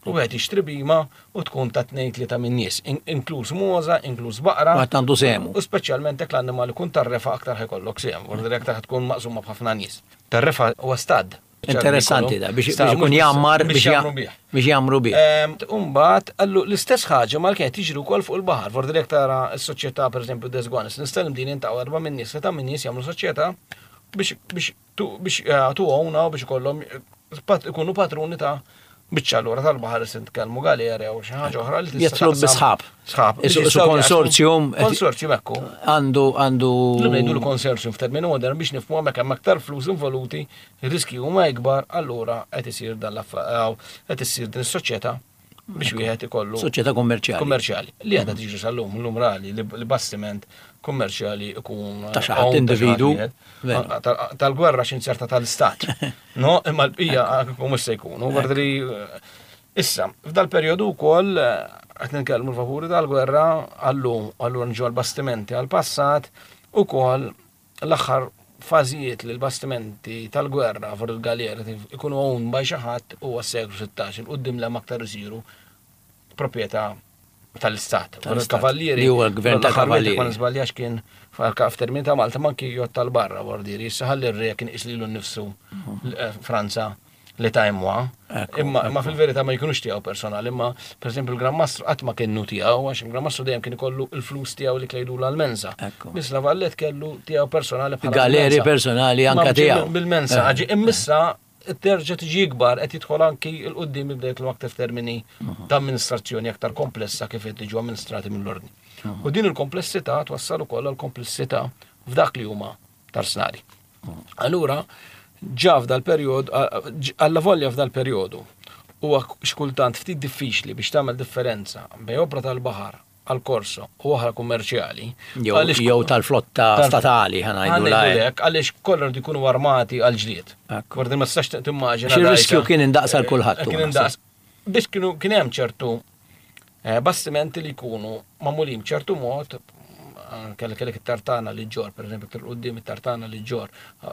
Speaker 3: u wieħed jixtri bima u tkun ta' tnejn tlieta minn nies, in- inkluż moża, inkluż baqra.
Speaker 1: Għat għandu semu.
Speaker 3: U speċjalment jekk l-annimal ikun tar-refa aktar ħajkollok sehem, vordi aktar tkun maqsuma b'ħafna nies. Tar-refa huwa stad.
Speaker 1: Interessanti da, biex
Speaker 3: Stad,
Speaker 1: biex ikun
Speaker 3: mhux biss-
Speaker 1: jammar
Speaker 3: biex jagħmru bih.
Speaker 1: biex jagħmru bih.
Speaker 3: Umbat, allu l-istess ħaġa mal kienet tiġri wkoll fuq il-baħar. Vordi jekk tara s-soċjetà pereżempju Desguanes, nistellem din intaqgħu erba' minn nies, ta' minn nies jagħmlu soċjetà biex biex tu biex tuħuna u biex ikollhom pat- ikunu patruni ta' biċċa allura tal-baħar se nitkellmu galera jew xi ħaġa oħra li tista'
Speaker 1: Jitlu
Speaker 3: taqsam-
Speaker 1: bi sħab.
Speaker 3: Sħab. biex
Speaker 1: Isu- isu
Speaker 3: jistgħu
Speaker 1: konsorzjum.
Speaker 3: jaqsmu- Konsorzjum ekku.
Speaker 1: Għandu għandu.
Speaker 3: Illum ngħidu l-konsorzjum f'termini modern biex nifhmu hemmhekk hemm aktar flus involuti, ir-riski huma ikbar, allura qed isir dan l-aff- qed issir din is-soċjetà biex wieħed ikollu
Speaker 1: Soċjetà kummerċjali.
Speaker 3: kummerċjali. Li għadha tiġri sal-lum, l-lum rali li li bastiment kummerċjali ikun
Speaker 1: Ta' xi ħadd
Speaker 3: owned ta' xi ħadd
Speaker 1: individu.
Speaker 3: wieħed.
Speaker 1: Veru.
Speaker 3: Ah, tal- Tal-gwerra x'inzerta tal-istat. No, imma l-bqija kieku mhux se jkunu. Għardri, Issa, f'dal perjodu wkoll eh, qed nitkellmu l-vapuri tal-gwerra għallum, allura nġu għal-bastimenti għal-passat, ukoll l-aħħar fażijiet li l-bastimenti tal-gwerra fuq il-galera ikunu owned by xi ħadd huwa s-seklu sittax, il quddiem l aktar isiru proprjetà Tal-istat.
Speaker 1: Tal-istat.
Speaker 3: Kavallieri.
Speaker 1: Li huwa l-gvern tal-kavallieri.
Speaker 3: Ma nisbaljax kien f'termini ta' Malta ma kien jgħod tal-barra vordiri. Issa ħalli r-re kien iqis lilu nnifsu eh, Franza li ta' imwa.
Speaker 1: Ekku,
Speaker 3: Imma imma fil-verità ma jkunux tiegħu personali, imma pereżempju il-Gran Mastru qatt ma kienu tiegħu għax il-Gran Mastru dejjem kien ikollu il-flus tiegħu li klejdu l-mensa.
Speaker 1: Ekku.
Speaker 3: Biss La Valette kellu tiegħu personali bħala
Speaker 1: Galeri
Speaker 3: mensa.
Speaker 1: personali anka
Speaker 3: Ma
Speaker 1: tiegħu.
Speaker 3: Bil-mensa,
Speaker 1: Eh.
Speaker 3: ġi immissa terġa' tiġi ikbar qed jidħol anki 'l quddiem jibda jitlu aktar termini ta' amministrazzjoni aktar komplessa kif qed tiġu amministrati mill-ordni. U din il-komplessità twassal ukoll għal komplessità f'dak li huma tarsnari. Allura, ġa f'dal perjodu, alla volja f'dal perjodu, huwa xkultant ftit diffiċli biex tagħmel differenza bejn opra tal-baħar għal korso u oħra kummerċjali.
Speaker 1: Jew
Speaker 3: għaliex-
Speaker 1: jew tal-flotta
Speaker 3: Tal-
Speaker 1: statali ħa ngħidu
Speaker 3: Ħa ngħidu
Speaker 1: la.
Speaker 3: lek, għaliex kollha rridu jkunu armati għal ġlied.
Speaker 1: Ekku.
Speaker 3: Gwardi ma tistax timmaġina.
Speaker 1: Xi riskju
Speaker 3: dajsa.
Speaker 1: kien indaqs għal kulħadd
Speaker 3: Eh, Kien
Speaker 1: hu,
Speaker 3: indaqs. Biex kienu kien hemm ċertu eh, bastimenti li jkunu magħmulin b'ċertu mod kellek kellek it-tartana li ġor, per eżempju, iktar quddiem it-tartana li ġor,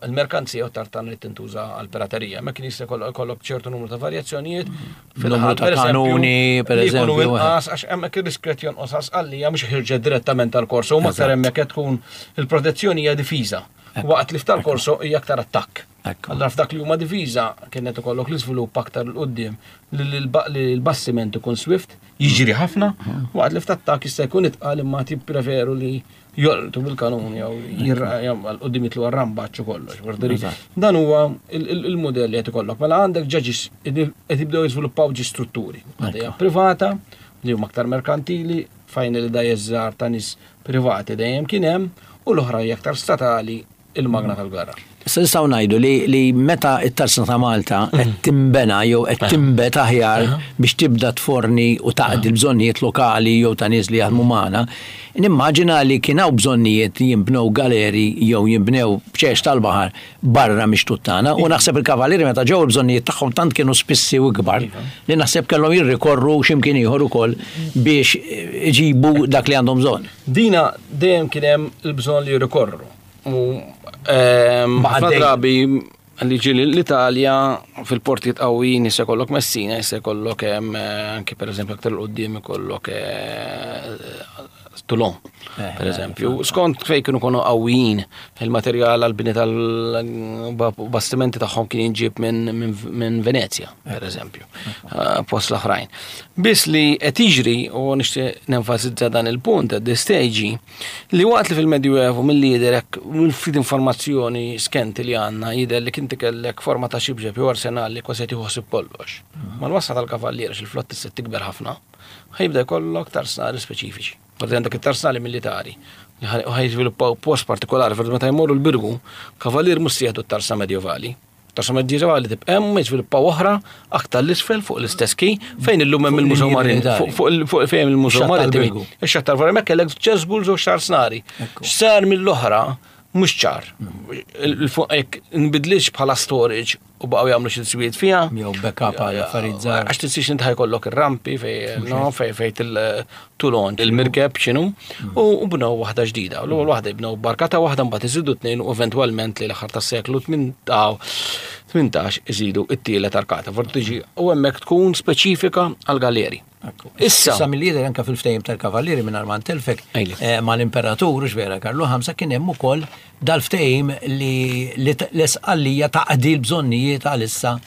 Speaker 3: il-merkanzija u tartana li tintuża għal piraterija. Ma kien jista' jkollok jkollok ċertu numru ta' varjazzjonijiet.
Speaker 1: Numru ta' kanuni, per
Speaker 3: li jkunu
Speaker 1: eżempju,
Speaker 3: inqas, għax hemmhekk ir-riskju qed jonqos għax għalija mhux ħirġet direttament tal-korso, u aktar
Speaker 1: Eżatt.
Speaker 3: hemmhekk qed tkun il-protezzjoni hija difiża. Waqt li f'tal-korso hija aktar attakk.
Speaker 1: Ekku.
Speaker 3: Allora f'dak li huma difiża kienet ikollok l-iżvilupp aktar 'l quddiem li l- li l-bastiment ikun swift, jiġri ħafna, waqt li f'attakk jista' jkun itqal imma tippreferu li jolqtu bil-kanun jew għal quddiem jitlu għar-rambaċ u kollox. Vorderi, Dan huwa il- il- il-mudell li qed ikollok. Mela għandek ġaġis qed jibdew jiżviluppaw ġi strutturi. Għandha hija privata, li huma aktar merkantili, fejn li da jeżżar ta' nies privati dejjem kien hemm, u l-oħra hija aktar statali il-magna tal-gwerra.
Speaker 1: Issa nistgħu ngħidu li, li meta it-tarsna ta' Malta qed timbena jew qed timbet aħjar biex tibda tforni u taqdi l-bżonnijiet lokali jew ta' nies li jaħdmu magħna, nimmaġina li kien hawn bżonnijiet jinbnew galeri jew jinbnew bċex tal-baħar barra mix tagħna u naħseb il-kavallieri meta ġew il-bżonnijiet tagħhom tant kienu spissi u kbar li naħseb kellhom jirrikorru x'imkien ieħor ukoll biex iġibu dak li għandhom bżonn.
Speaker 3: Dina dejjem kien hemm il-bżonn li jirrikorru. U ehm,
Speaker 1: Ma
Speaker 3: ħafna
Speaker 1: għaddej.
Speaker 3: drabi li ġieli l-Italja fil-portijiet qawwijin jista' jkollok Messina, jista' jkollok hemm eh, anke pereżempju aktar 'l quddiem ikollok eh, Toulon,
Speaker 1: Eh,
Speaker 3: per eżempju. Skont fejn kienu konu qawwijin, il-materjal għal-bini tal-bastimenti tagħhom kien jinġib minn min, min Venezia, per eżempju, eh, post l-oħrajn. Biss li qed jiġri u nixtieq nenfasizza dan il-punt at this stage li waqt li fil-Medjuevu mill-lider hekk mill-ftit informazzjoni skenti li għandna jidher li kien tikellek forma ta' xibġeb jew arsenal li kważi qed jieħu kollox. Mal-wasla tal-kavallier il-flotta se tikber ħafna, ħajbda jkollok tarsnali speċifiċi. Parti għandek it-tarsnali militari li ħaj ħaj jiżviluppaw post partikolari fil meta jmorru l-Birgu, kavallier mhux se jieħdu t-tarsa medjevali. Tarsa medjevali tibqa' hemm jiżviluppaw oħra aktar l-isfel fuq l-istess ki fejn illum hemm il-Mużew
Speaker 1: il-linji
Speaker 3: Marin.
Speaker 1: militari.
Speaker 3: Fuq fuq il- fuq fejn il-Mużew
Speaker 1: Ix-xatt
Speaker 3: Marittimi.
Speaker 1: tal-Birgu.
Speaker 3: Ix-xatt tal-Birgu hemmhekk kellek ċeżbul żewġ tarsnari.
Speaker 1: Ekku.
Speaker 3: X'sar mill-oħra mhux ċar. Il-fuq jekk nbidlix bħala storage u baqgħu jagħmlu xi tiswijiet fiha.
Speaker 1: Jew backup għal affarijiet żgħar.
Speaker 3: Għax tinsiex inti ħajkollok ir-rampi fej no fej fej til-tulon il-mirkeb x'inhu u u bnew waħda ġdida. U L-ewwel waħda jibnew barkata waħda mbagħad iżidu tnejn u eventwalment li l-aħħar tas-seklu tmintax iżidu it-tielet arkata. Forti tiġi u hemmhekk tkun speċifika għal galeri. Issa,
Speaker 1: Issa mill-lider anka fil-ftehim tal-kavallieri minn Armand Telfek
Speaker 3: Ejli.
Speaker 1: eh, mal-imperatur, vera Karlu Ħamsa kien hemm ukoll dal-ftehim li li t- l-Isqallija taqdi l-bżonnijiet għalissa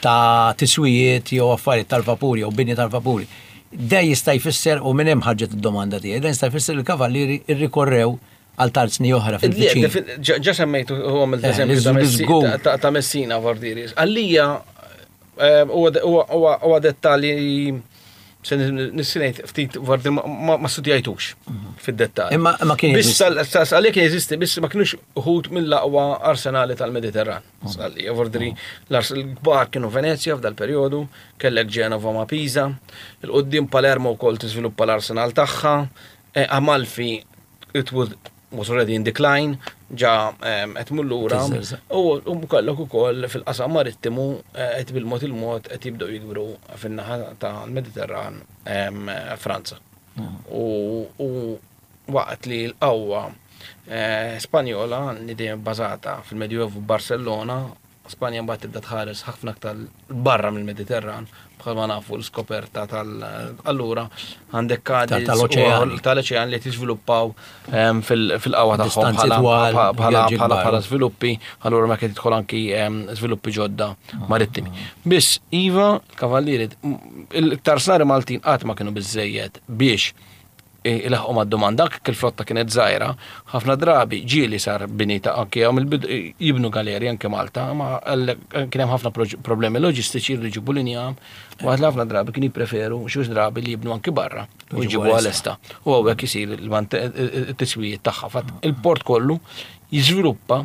Speaker 1: ta' tiswijiet jew affarijiet tal-vapuri jew bini tal-vapuri. Da jista' jfisser u minn hemm ħarġet id-domanda tiegħi, dan jista' jfisser li l-kavallieri irrikorrew għal tarzni oħra fil-viċin.
Speaker 3: Ġa semmejtu u għamilt
Speaker 1: Eh,
Speaker 3: eżempju ta'
Speaker 1: l-
Speaker 3: Messi-
Speaker 1: l-żgur.
Speaker 3: ta- ta' ta' Messina Vordiri. Għalija eh, huwa huwa- huwa huwa dettalji se nissinejt ftit Vordiri ma- ma ma studjajtux fid-dettalji.
Speaker 1: Imma ma kien
Speaker 3: Biss
Speaker 1: jeżisti.
Speaker 3: sal- sal- għalija kien jeżisti, biss ma kienux uħud mill-aqwa arsenali tal-Mediterran. Għalija Vordiri l-kbar kienu Venezia f'dal periodu, kellek Genova ma' Pisa, il-qoddim Palermo wkoll tiżviluppa l-arsenal tagħha, eh, Amalfi it was was already in decline, ġa em, qed tmur lura.
Speaker 1: Tiżżerżaq.
Speaker 3: U u kellek ukoll fil-qasam marittimu eh, qed bil-mod il-mod qed jibdew jikbru fin-naħa tal-Mediterran em, Franza. U u waqt li l-qawwa eh, Spanjola li dejjem bbażata fil-Medjuevu Barcellona Spanja mbagħad tibda tħares ħafna aktar barra mill-Mediterran, bħalma nafu l-skoperta tal allura għandek Kadiz
Speaker 1: Tal-oċean.
Speaker 3: Tal-oċean li tiżviluppaw ehm, fil-qawwa tagħhom
Speaker 1: Distanzi
Speaker 3: bħala-
Speaker 1: twal,
Speaker 3: bħala
Speaker 1: vjaġġi
Speaker 3: bħala
Speaker 1: kbar.
Speaker 3: bħala żviluppi, allura ma kien tidħol anki ehm, żviluppi ġodda marittimi. Biss iva, kavallieri, il-tarsnari Maltin qatt ma kienu biżejjed biex ilaħqu mad-domanda, kif il-flotta kienet żgħira, ħafna drabi ġieli sar bini ta' anke hawn il-bidu jibnu galeri anke Malta, ma għall- kien hemm ħafna proġ- problemi loġistiċi jridu jġibu l-injam, u għad ħafna drabi kien jippreferu xi drabi li jibnu anke barra u jġibu għal-esta. U hawnhekk isir il-tiswijiet tagħha. Fatt il-port kollu jiżviluppa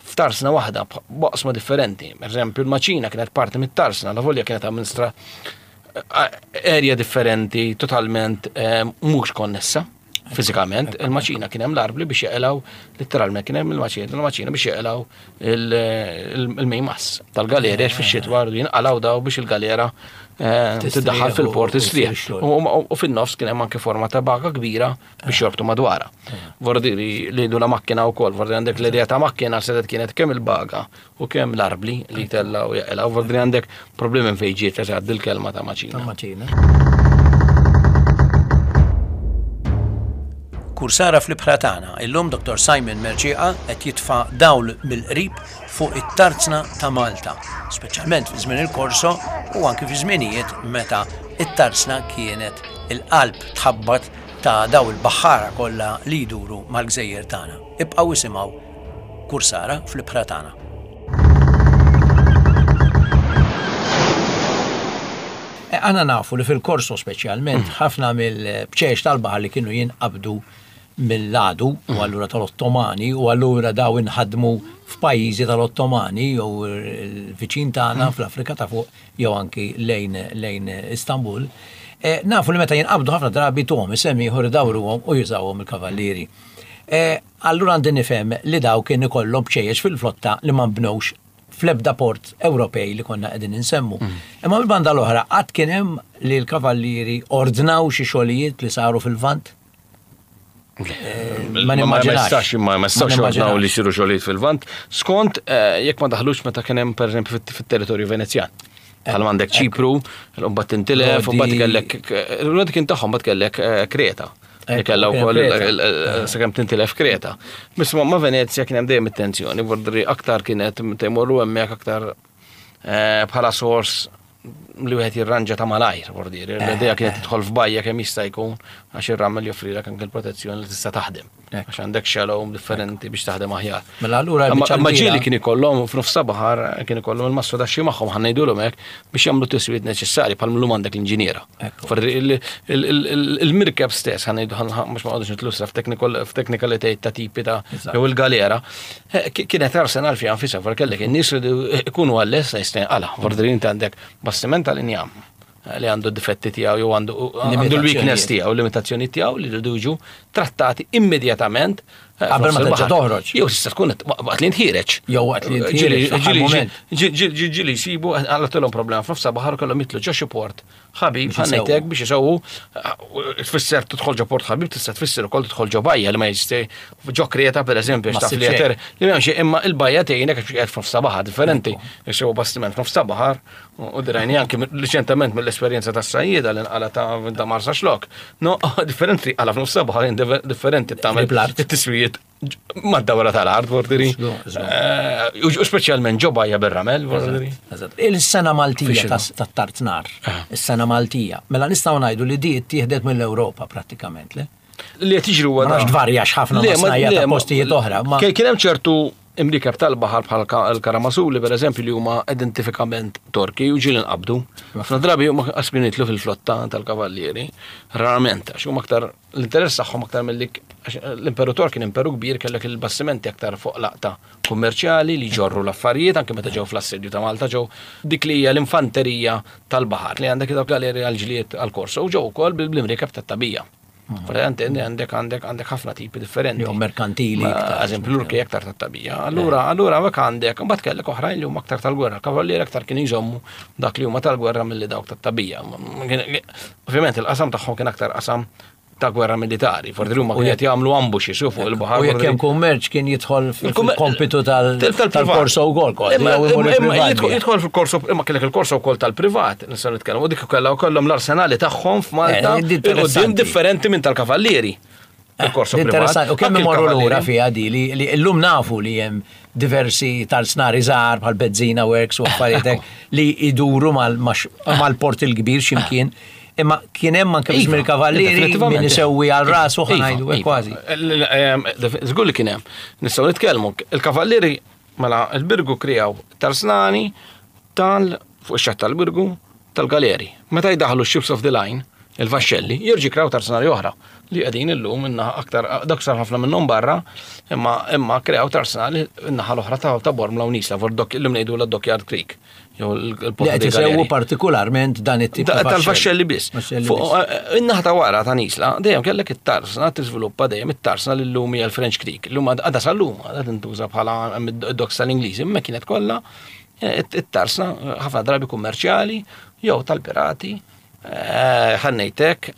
Speaker 3: f'tarsna waħda b'oqsma differenti. Per eżempju, il-maċina kienet parti mit-tarsna, la volja kienet amministra area differenti, totalment eh, mhux konnessa fiżikament. Il-maċina kien hemm l-arbli biex jeqilgħu, letteralment kien hemm il-maċina, il-maċina biex jeqilgħu il-mejmas tal-galera għax fix-xitwa rridu jinqalgħu daw biex il-galera eh, tiddaħħal fil-port
Speaker 1: u
Speaker 3: istrieħ.
Speaker 1: issir
Speaker 3: U u fin-nofs kien hemm anke forma ta' baga kbira biex jorbtu madwarha. Vordiri li du la macchina wkoll, vordiri għandek l-idea ta' macchina sedet kienet kemm il-baga u kemm l-arbli li tella u jaqilgħu, vordiri għandek problemi fejn ġiet eżatt dil-kelma ta' maċina.
Speaker 1: Ta' maċina. Kursara fl-ibħra tagħna, illum Dottor Simon Mercieca qed jitfa' dawl mill-qrib fuq it-tarzna ta' Malta, speċjalment fi żmien il-Korso u anki fi żminijiet meta it-tarzna kienet il-qalb tħabbat ta' daw il-baħħara kollha li jduru mal-gżejjer tagħna. Ibqgħu isimgħu Kursara fl-ibħra tagħna. E, Aħna nafu li fil-Korso speċjalment ħafna mill-bċeċ tal-baħar li kienu jinqabdu mill-għadu u allura tal-Ottomani u allura daw inħadmu f'pajjiżi tal-Ottomani jew il-viċin tagħna fl-Afrika ta' fuq jew anki lejn lejn Istanbul. E, nafu li meta jinqabdu ħafna drabi tuhom isem ieħor idawruhom u jużawhom il-kavallieri. E, allura għandi nifhem li daw kien ikollhom bċejjex fil-flotta li ma nbnewx fl-ebda port Ewropej li konna qegħdin insemmu. Imma mill-banda l-oħra qatt kien hemm li l-kavallieri ordnaw xi xogħlijiet li saru fil-Lvant? Ma
Speaker 3: Ma
Speaker 1: nimmaġinax.
Speaker 3: jistax ma ma jistax
Speaker 1: Ma
Speaker 3: ordnaw
Speaker 1: nimmaġinax.
Speaker 3: li jsiru xogħlijiet fil-Lvant. Skont eh, jekk ma daħlux meta kien hemm pereżempju fit- fit-territorju Venezjan. Bħal għandek Ċipru, mbagħad tintilef, u mbagħad
Speaker 1: Rodi.
Speaker 3: kellek Rodi kien tagħhom mbagħad kellek eh, Kreta. Li
Speaker 1: Ekku,
Speaker 3: kellha
Speaker 1: kien
Speaker 3: wkoll
Speaker 1: Kreta.
Speaker 3: il- il- sakemm tintilef Kreta. Biss ma ma Venezja kien hemm dejjem it-tensjoni, vordri aktar kienet tmorru hemmhekk aktar eh, bħala sors li wieħed jirranġa ta' malajr, vordiri. L-idea kienet tidħol f'bajja kemm jista' jkun għax ir-ramel joffrilek anke l-protezzjoni li tista' taħdem.
Speaker 1: Ekku.
Speaker 3: Għax għandek shallow differenti biex taħdem aħjar.
Speaker 1: Mela allura
Speaker 3: Imma
Speaker 1: l-biċċa
Speaker 3: imma
Speaker 1: kbira-
Speaker 3: ġieli kien ikollhom f'nofs ta' baħar kien ikollhom il-mastru daxxi magħhom ħa ngħidulhom hekk biex jagħmlu tiswiet neċessarji bħal millum għandek l-inġiniera.
Speaker 1: Ekku.
Speaker 3: Forri il- il- il- Il-mirkeb stess ħa ngħidu mhux ma qogħdux nitlu f'teknikalitajiet ta' tipi ta'
Speaker 1: Eżatt.
Speaker 3: jew il-galera. eh, ki- Kienet arsenal fiha nfisha for kellek in-nies li ikunu għall-lest jista' Vordri inti għandek bastiment tal-injam li għandu difetti tiegħu jew għandu għandu l-weakness tiegħu, limitazzjoni tiegħu li jridu jiġu trattati immedjatament eh,
Speaker 1: Qabel ma
Speaker 3: f'nofs
Speaker 1: terġa'
Speaker 3: il-baħar.
Speaker 1: toħroġ.
Speaker 3: Jew tista' tkun waqt li ntħireġ.
Speaker 1: Jew waqt li ntħireġ fl-aħħar
Speaker 3: Ġieli-
Speaker 1: moment.
Speaker 3: ġieli ġieli jsibu għallatulhom problema f'nofs baħar kellhom jitlu ġo xi port ħabib
Speaker 1: Biex isewwu.
Speaker 3: ħa ngħidlek biex isewwu tfisser tidħol ġo port ħabib tista' tfisser ukoll tidħol ġo bajja li ma jeżisti ġo Kreta pereżempju
Speaker 1: Ma
Speaker 3: għax taf li
Speaker 1: ssib xejn.
Speaker 3: jeter li m'hemmx imma il-bajja tgħinek għax qiegħed f'nofs baħar differenti. Jsewu bastiment f'nofs baħar u dirajni anke riċentement mill-esperjenza tas-sajjieda li nqala ta' ta' Marsaxlokk. No, differenti qala f'nofs baħar differenti tagħmel
Speaker 1: Qrib l-art.
Speaker 3: it-tiswijiet mad-dawra tal-art, vordiri.
Speaker 1: Żgur, żgur.
Speaker 3: Eh, U speċjalment ġo bajja bir-ramel, vordiri.
Speaker 1: Eżatt. Il-sena Maltija
Speaker 3: Fixinu.
Speaker 1: tas- tat-Tartnar, is-sena Maltija. Mela nistgħu ngħidu li di ttieħdet mill-Ewropa prattikament, le?
Speaker 3: Li qed jiġri huwa
Speaker 1: Ma nafx tvarjax ħafna
Speaker 3: Le,
Speaker 1: ma' snajja
Speaker 3: le,
Speaker 1: ta' postijiet oħra, ma-
Speaker 3: Kien kien hemm ċertu imrikeb tal-baħar bħal ka- l-Karamasuli per eżempju li huma identifikament Torki u ġieli nqabdu. Ħafna drabi huma qasmin jitlu fil-flotta tal-kavallieri, rarament għax huma aktar l-interess tagħhom aktar milli għax l-Imperu Tork kien imperu kbir kellek il-bastimenti aktar fuq laqta kummerċjali li ġorru l-affarijiet anke meta ġew fl-assedju ta' Malta ġew dik li hija l-infanterija tal-baħar li għandek dawk galeri għal-ġlied għal-korso u ġew ukoll bil-imrikeb tat-tabija. Verament għandek għandek għandek ħafna tipi differenti.
Speaker 1: Jew merkantili
Speaker 3: Ma,
Speaker 1: iktar.
Speaker 3: Eżempju, l-Urki aktar tat-tabija. Allura, allura hekk għandek, mbagħad kellek oħrajn li huma aktar tal-gwerra. Kavallieri aktar kien jżommu dak li huma tal-gwerra milli dawk tat-tabija. Ovvjament il-qasam tagħhom kien aktar qasam ta' gwerra militari, forsi huma kienu qed jagħmlu ambushes fuq il-baħar.
Speaker 1: U jekk hemm kummerċ kien jidħol fil-kompitu tal-korso wkoll.
Speaker 3: Jidħol fil-korso, imma kellek il-korso wkoll tal-privat, nistgħu nitkellmu, u dik kellha wkollhom l-arsenali tagħhom f'Malta, quddiem differenti minn tal-kavallieri. Il-korso privat.
Speaker 1: U kemm imorru lura fiha di li llum nafu li hemm diversi tal-snari żgħar bħal Bezzina Works u affarijiet li jduru mal-port il-kbir x'imkien. Imma kien hemm anke biex mill-kavallieri min isewwi għal rasu ħanajdu kważi.
Speaker 3: Żgur li kien hemm. Nistgħu nitkellmu. Il-kavallieri mela il-Birgu krijaw tarsnani tal fuq ix-xatt tal-Birgu tal-galeri. Meta jdaħlu ships of the line, il-vaxxelli, jirġi kraw tarsnani oħra li qegħdin illum innaħa aktar dak sar ħafna minnhom barra, imma imma kreaw tarsnali in-naħa l-oħra ta' Bormla u Nisla, for dok illum ngħidu la Dockyard Creek. Jew
Speaker 1: il-port li qed partikolarment dan it-tip
Speaker 3: tal-vaxxelli biss. In-naħa ta' wara ta' Nisla dejjem kellek it-tarsna tiżviluppa dejjem it-tarsna li llum hija l-French Creek. Illum għadha sal-lum għadha tintuża bħala id-docks tal-Ingliżi, imma kienet kollha it-tarsna ħafna drabi kummerċjali jew tal-pirati, ħannejtek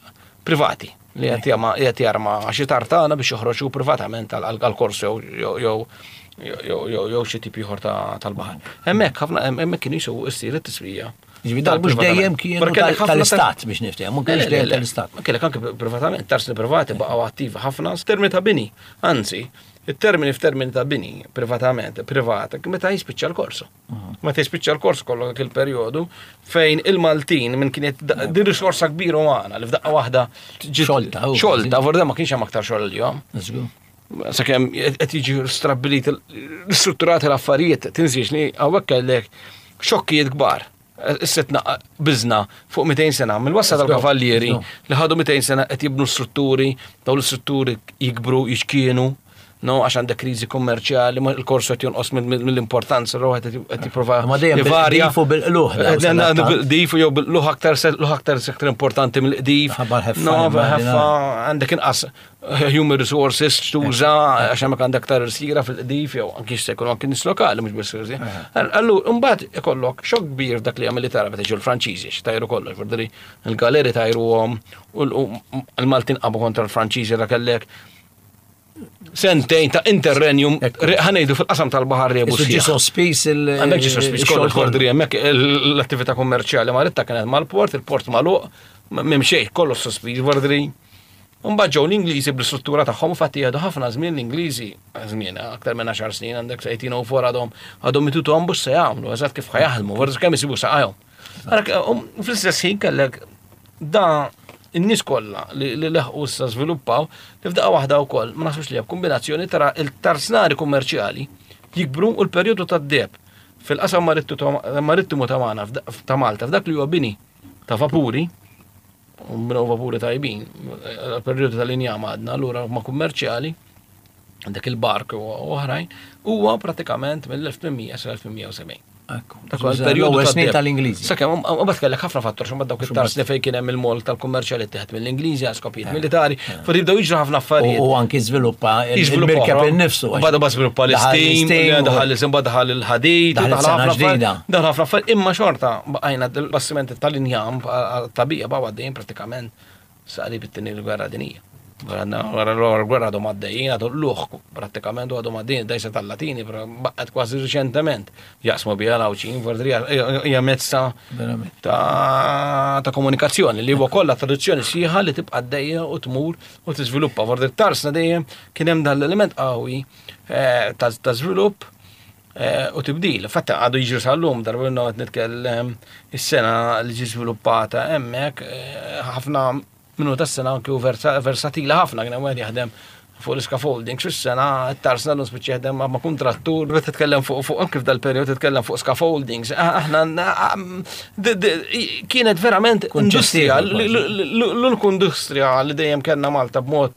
Speaker 3: privati li qed jarma xi tartana biex joħroġu privatament għall-korso jew jew xi tip ieħor tal-baħar. Hemmhekk ħafna hemmhekk kienu jisuw issir it-tiswija.
Speaker 1: Ġifieri dal mhux dejjem kienu tal-istat biex niftehmu, mhux kienx dejjem tal-istat.
Speaker 3: Ma kellek anke privatament, tarsni privati baqgħu attivi ħafna f'termini ta' bini. Anzi, it-termini f'termini ta' bini privatament, privat, meta jispiċċa l-korso. Meta jispiċċa l-korso kollu dak il-perjodu fejn il-Maltin minn kienet din risorsa kbira umana li f'daqqa waħda
Speaker 1: xolta.
Speaker 3: Xolta, vorda ma kienx hemm aktar xogħol il-jom. Sakemm qed jiġi strabbilit strutturati l-affarijiet, tinsiex li hawnhekk kellek xokkijiet kbar. Issa biżna fuq mitejn sena mill-wassa tal-kavallieri li ħadu mitejn sena qed jibnu strutturi, dawn l-istrutturi jikbru, jiċkienu, no, għax għandek kriżi kummerċjali, il-korso qed jonqos mill-importanza, ruħ qed jipprova.
Speaker 1: Ma dejjem bil-qdifu bil-qluħ.
Speaker 3: Bil-qdifu jew bil-qluħ aktar aktar aktar importanti mill-qdif. No, ħeffa għandek inqas human resources tuża għax hemmhekk għandek aktar irsira fil-qdif jew anki se jkunu anki nies lokali mhux biss irsi. Allu mbagħad ikollok xokk kbir dak li hija militari meta ġew il-Franċiżi x'tajru kollox, vorderi il-galeri tajruhom u l-Maltin qabu kontra l-Franċiżi ra kellek sentejn ta' interrenjum ħanejdu fil-qasam tal-baħar rebu.
Speaker 1: Ġi sospiż il.
Speaker 3: Għandek ġi sospiż kollox kordri hemmhekk l-attività kummerċjali maritta kienet mal-port, il-port magħluq, m'hemm xejn, kollox sospiż vordri. Mbagħad ġew l-Ingliżi bl-istruttura tagħhom fatti jgħidu ħafna żmien l-Ingliżi, żmien aktar minn għaxar snin għandek sa eighteen oh four għadhom għadhom itutu għambu se jagħmlu, eżatt kif ħajaħdmu, forsi kemm isibu saqajhom. Fl-istess ħin kellek da in-nies kollha li leħqu issa żviluppaw li f'daqqa waħda wkoll ma naħsibx li hemm kombinazzjoni tara il-tarsnari kummerċjali jikbru u l-perjodu tad-deheb fil-qasam marittimu ta' magħna ta' Malta f'dak li huwa bini ta' vapuri, u bnew vapuri tajbin, il-perjodu tal-injam għadna allura ma' kummerċjali għandek il-bark u oħrajn, huwa pratikament mill-elf tmien mija sa elf tmien mija u sebgħin.
Speaker 1: Dak huwa snin tal-Ingliżi.
Speaker 3: Sakemm mbagħad kellek ħafna fattur x'mbagħad dawk it-tars li fejn kien hemm il-mol tal-kummerċjali ttieħed mill-Ingliżi għal skopijiet militari, fuq jibdew jiġru ħafna affarijiet.
Speaker 1: U anki żviluppa il-mirkeb innifsu.
Speaker 3: Mbagħad mbagħad żviluppa l-istim, daħal l-istim, daħal il-ħadid, daħal ħafna affarijiet. Daħal ħafna affarijiet, imma xorta bqajna l-bastimenti tal-injam tabija baqgħu għaddejjin pratikament sa qrib it-tieni gwerra dinjija. Wara l-gwerra għadhom għaddejjin, għadhom l-luħ prattikament għadhom għaddejjin, dajsa tal-Latini, però baqgħet kważi riċentement jaqsmu biha l-Għawdxin, vordri hija mezz ta' komunikazzjoni li huwa kollha traduzzjoni sħiħa li tibqa' għaddejja u tmur u tiżviluppa. Vordri tarsna dejjem kien hemm dan l-element qawwi ta' żvilupp u tibdil. Fatta għadu jiġri sal-lum, darba minnhom qed nitkellem is-sena li ġi żviluppata hemmhekk ħafna minnu tas-sena anki u versatila ħafna, kien hemm wieħed jaħdem fuq l-scaffolding, fis-sena t-tarsna l-lum spiċċa jaħdem ma' kuntrattur, meta titkellem fuq fuq anki f'dal-perjodu titkellem fuq scaffoldings, aħna kienet verament industrija, l-uniku industrija li dejjem kellna Malta b'mod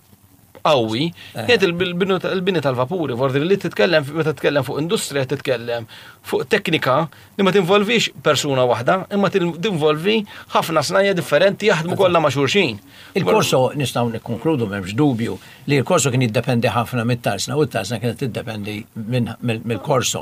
Speaker 3: qawwi, kienet il-bini tal-vapuri, vordi li titkellem, meta titkellem fuq industrija titkellem fuq teknika li ma tinvolvix persuna waħda, imma tinvolvi ħafna snajja differenti jaħdmu kollha ma' xulxin.
Speaker 1: Il-korso nistgħu nikkonkludu m'hemmx dubju li l-korso kien jiddependi ħafna mit-tarsna u t-tarsna kienet tiddependi mill-korso.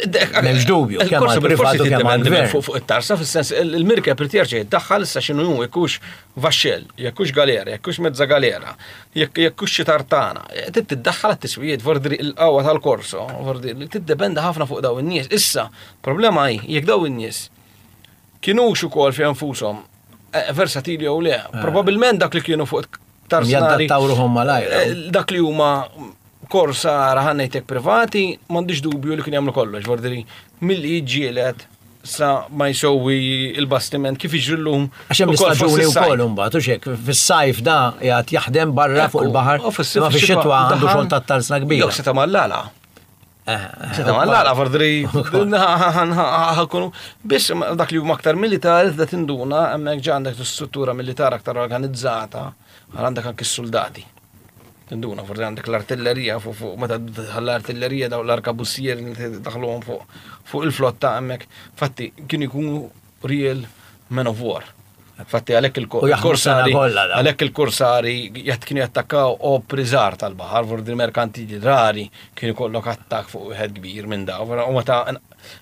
Speaker 1: M'hemmx dubju, kemm għall-privat u kemm għall-gvern.
Speaker 3: Fuq it-tarsna fis-sens il-mirkeb irid jerġa' jiddaħħal issa x'inhu hu jkunx Vaxxell, jekk hux galera, jekk hux mezza galera, jekk jekk hux xi tartana, trid tiddaħħal għat-tiswijiet vordri il-qawwa tal-korso, vordri li tiddependi ħafna fuq daw in-nies. Issa, problema hi jekk daw in-nies kienux ukoll fi nfushom eh, versatili jew le, probabbilment dak li kienu fuq tarznari.
Speaker 1: Jadattaw ruħhom malajr.
Speaker 3: Eh, Dak li huma korsara ħa ngħidlek privati, m'għandix dubju li kien jagħmlu kollox, vordri milli jiġġieled sa ma jsewwi il-bastiment kif jiġri llum.
Speaker 1: Għax hemm
Speaker 3: ukoll fost
Speaker 1: l-istaġuni
Speaker 3: is-sajf.
Speaker 1: wkoll imbagħad u xek, fis-sajf da qiegħed jaħdem barra fuq
Speaker 3: Ekku,
Speaker 1: il-baħar,
Speaker 3: u fis-sajf
Speaker 1: imma fix-xitwa għandu xogħol tat-tarsna kbira.
Speaker 3: Jew seta' mal-lala.
Speaker 1: Eh, eh,
Speaker 3: Seta' mal-lala, vordri ħakunu. Biss ma- dak li huma aktar militari, da tinduna, hemmhekk ġa għandek struttura militari aktar organizzata, għal għandek anki s-soldati. Tinduna, forsi għandek l-artillerija fuq fuq meta l-artillerija daw l-arkabussier li daħluhom fuq fuq il-flotta hemmhekk. Fatti kienu jkunu real men of war. Fatti għalhekk
Speaker 1: U jaħdmu sena
Speaker 3: il-korsari
Speaker 1: kollha dawn.
Speaker 3: għalhekk il-korsari jgħat kienu jattakkaw opri żgħar tal-baħar, vordi merkantili rari kienu kollok attak fuq wieħed kbir minn daw. U meta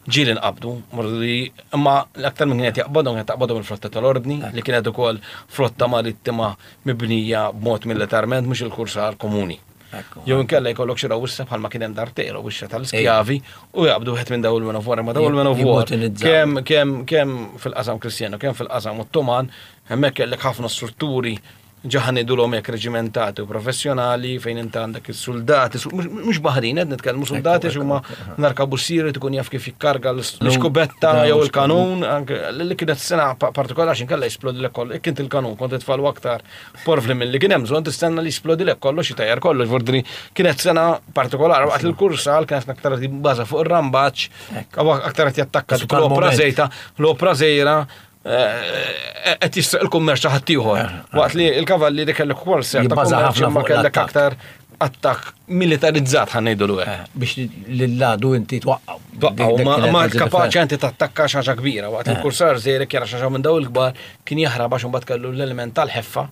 Speaker 3: ġieli nqabdu, vordi imma l-aktar minn kienet jaqbadhom kienet taqbadhom il-flotta tal-ordni li kienet ukoll flotta marittima mibnija b'mod militarment mhux il-kursar komuni.
Speaker 1: Ekku.
Speaker 3: Jew inkella jkollok xi rawissa bħalma kien hemm darbtejn rawissa tal-iskjavi u jaqbdu wieħed minn dawn il-men of war, ma dawn il-men of war.
Speaker 1: Jimmotinizzaw.
Speaker 3: Kemm kemm kemm fil-qasam Kristjanu, kemm fil-qasam Ottoman, hemmhekk kellek ħafna strutturi ġa ħa ngħidulhom hekk reġimentati u professjonali fejn inti għandek is-soldati, su- mhux mhux baħrin qed nitkellmu soldati
Speaker 1: Ekku,
Speaker 3: huma narkabussieri tkun jaf kif jikkarga l-iskubetta
Speaker 1: Da,
Speaker 3: jew
Speaker 1: mhux
Speaker 3: il-kanun, anke li kienet sena pa- partikolari għax inkella jisplodilek kollu, jekk inti il-kanun kont titfalu aktar porvli milli kien hemm bżonn tistenna li jisplodilek kollox jitajjar kollox, vordri kienet sena partikolari waqt il-kursal kienet aktar baża fuq ir-rambaċ,
Speaker 1: Ekku.
Speaker 3: aktar qed jattakka
Speaker 1: Su
Speaker 3: dik l-opra
Speaker 1: tal-moment.
Speaker 3: żejta, l-opra żejra eh, qed jisraq il-kummerċ ta' ħaddieħor. Waqt li il-kavalli kellek ukoll ser ta'
Speaker 1: Jibbaża
Speaker 3: kummerċ
Speaker 1: ħafna
Speaker 3: imma
Speaker 1: fuq
Speaker 3: kellek
Speaker 1: l-attakk.
Speaker 3: aktar attakk militarizzat ħa ngħidu hekk.
Speaker 1: Eh, Biex l-ladu inti twaqqaw.
Speaker 3: Twaqqaw,
Speaker 1: Dik- dik
Speaker 3: ma,
Speaker 1: kienet
Speaker 3: ma
Speaker 1: il-
Speaker 3: kapaċi inti tattakka xi ħaġa kbira, waqt il-kursar żejrek jara xi ħaġa minn daw il-kbar kien jaħrab għax imbagħad kellu l-element tal-ħeffa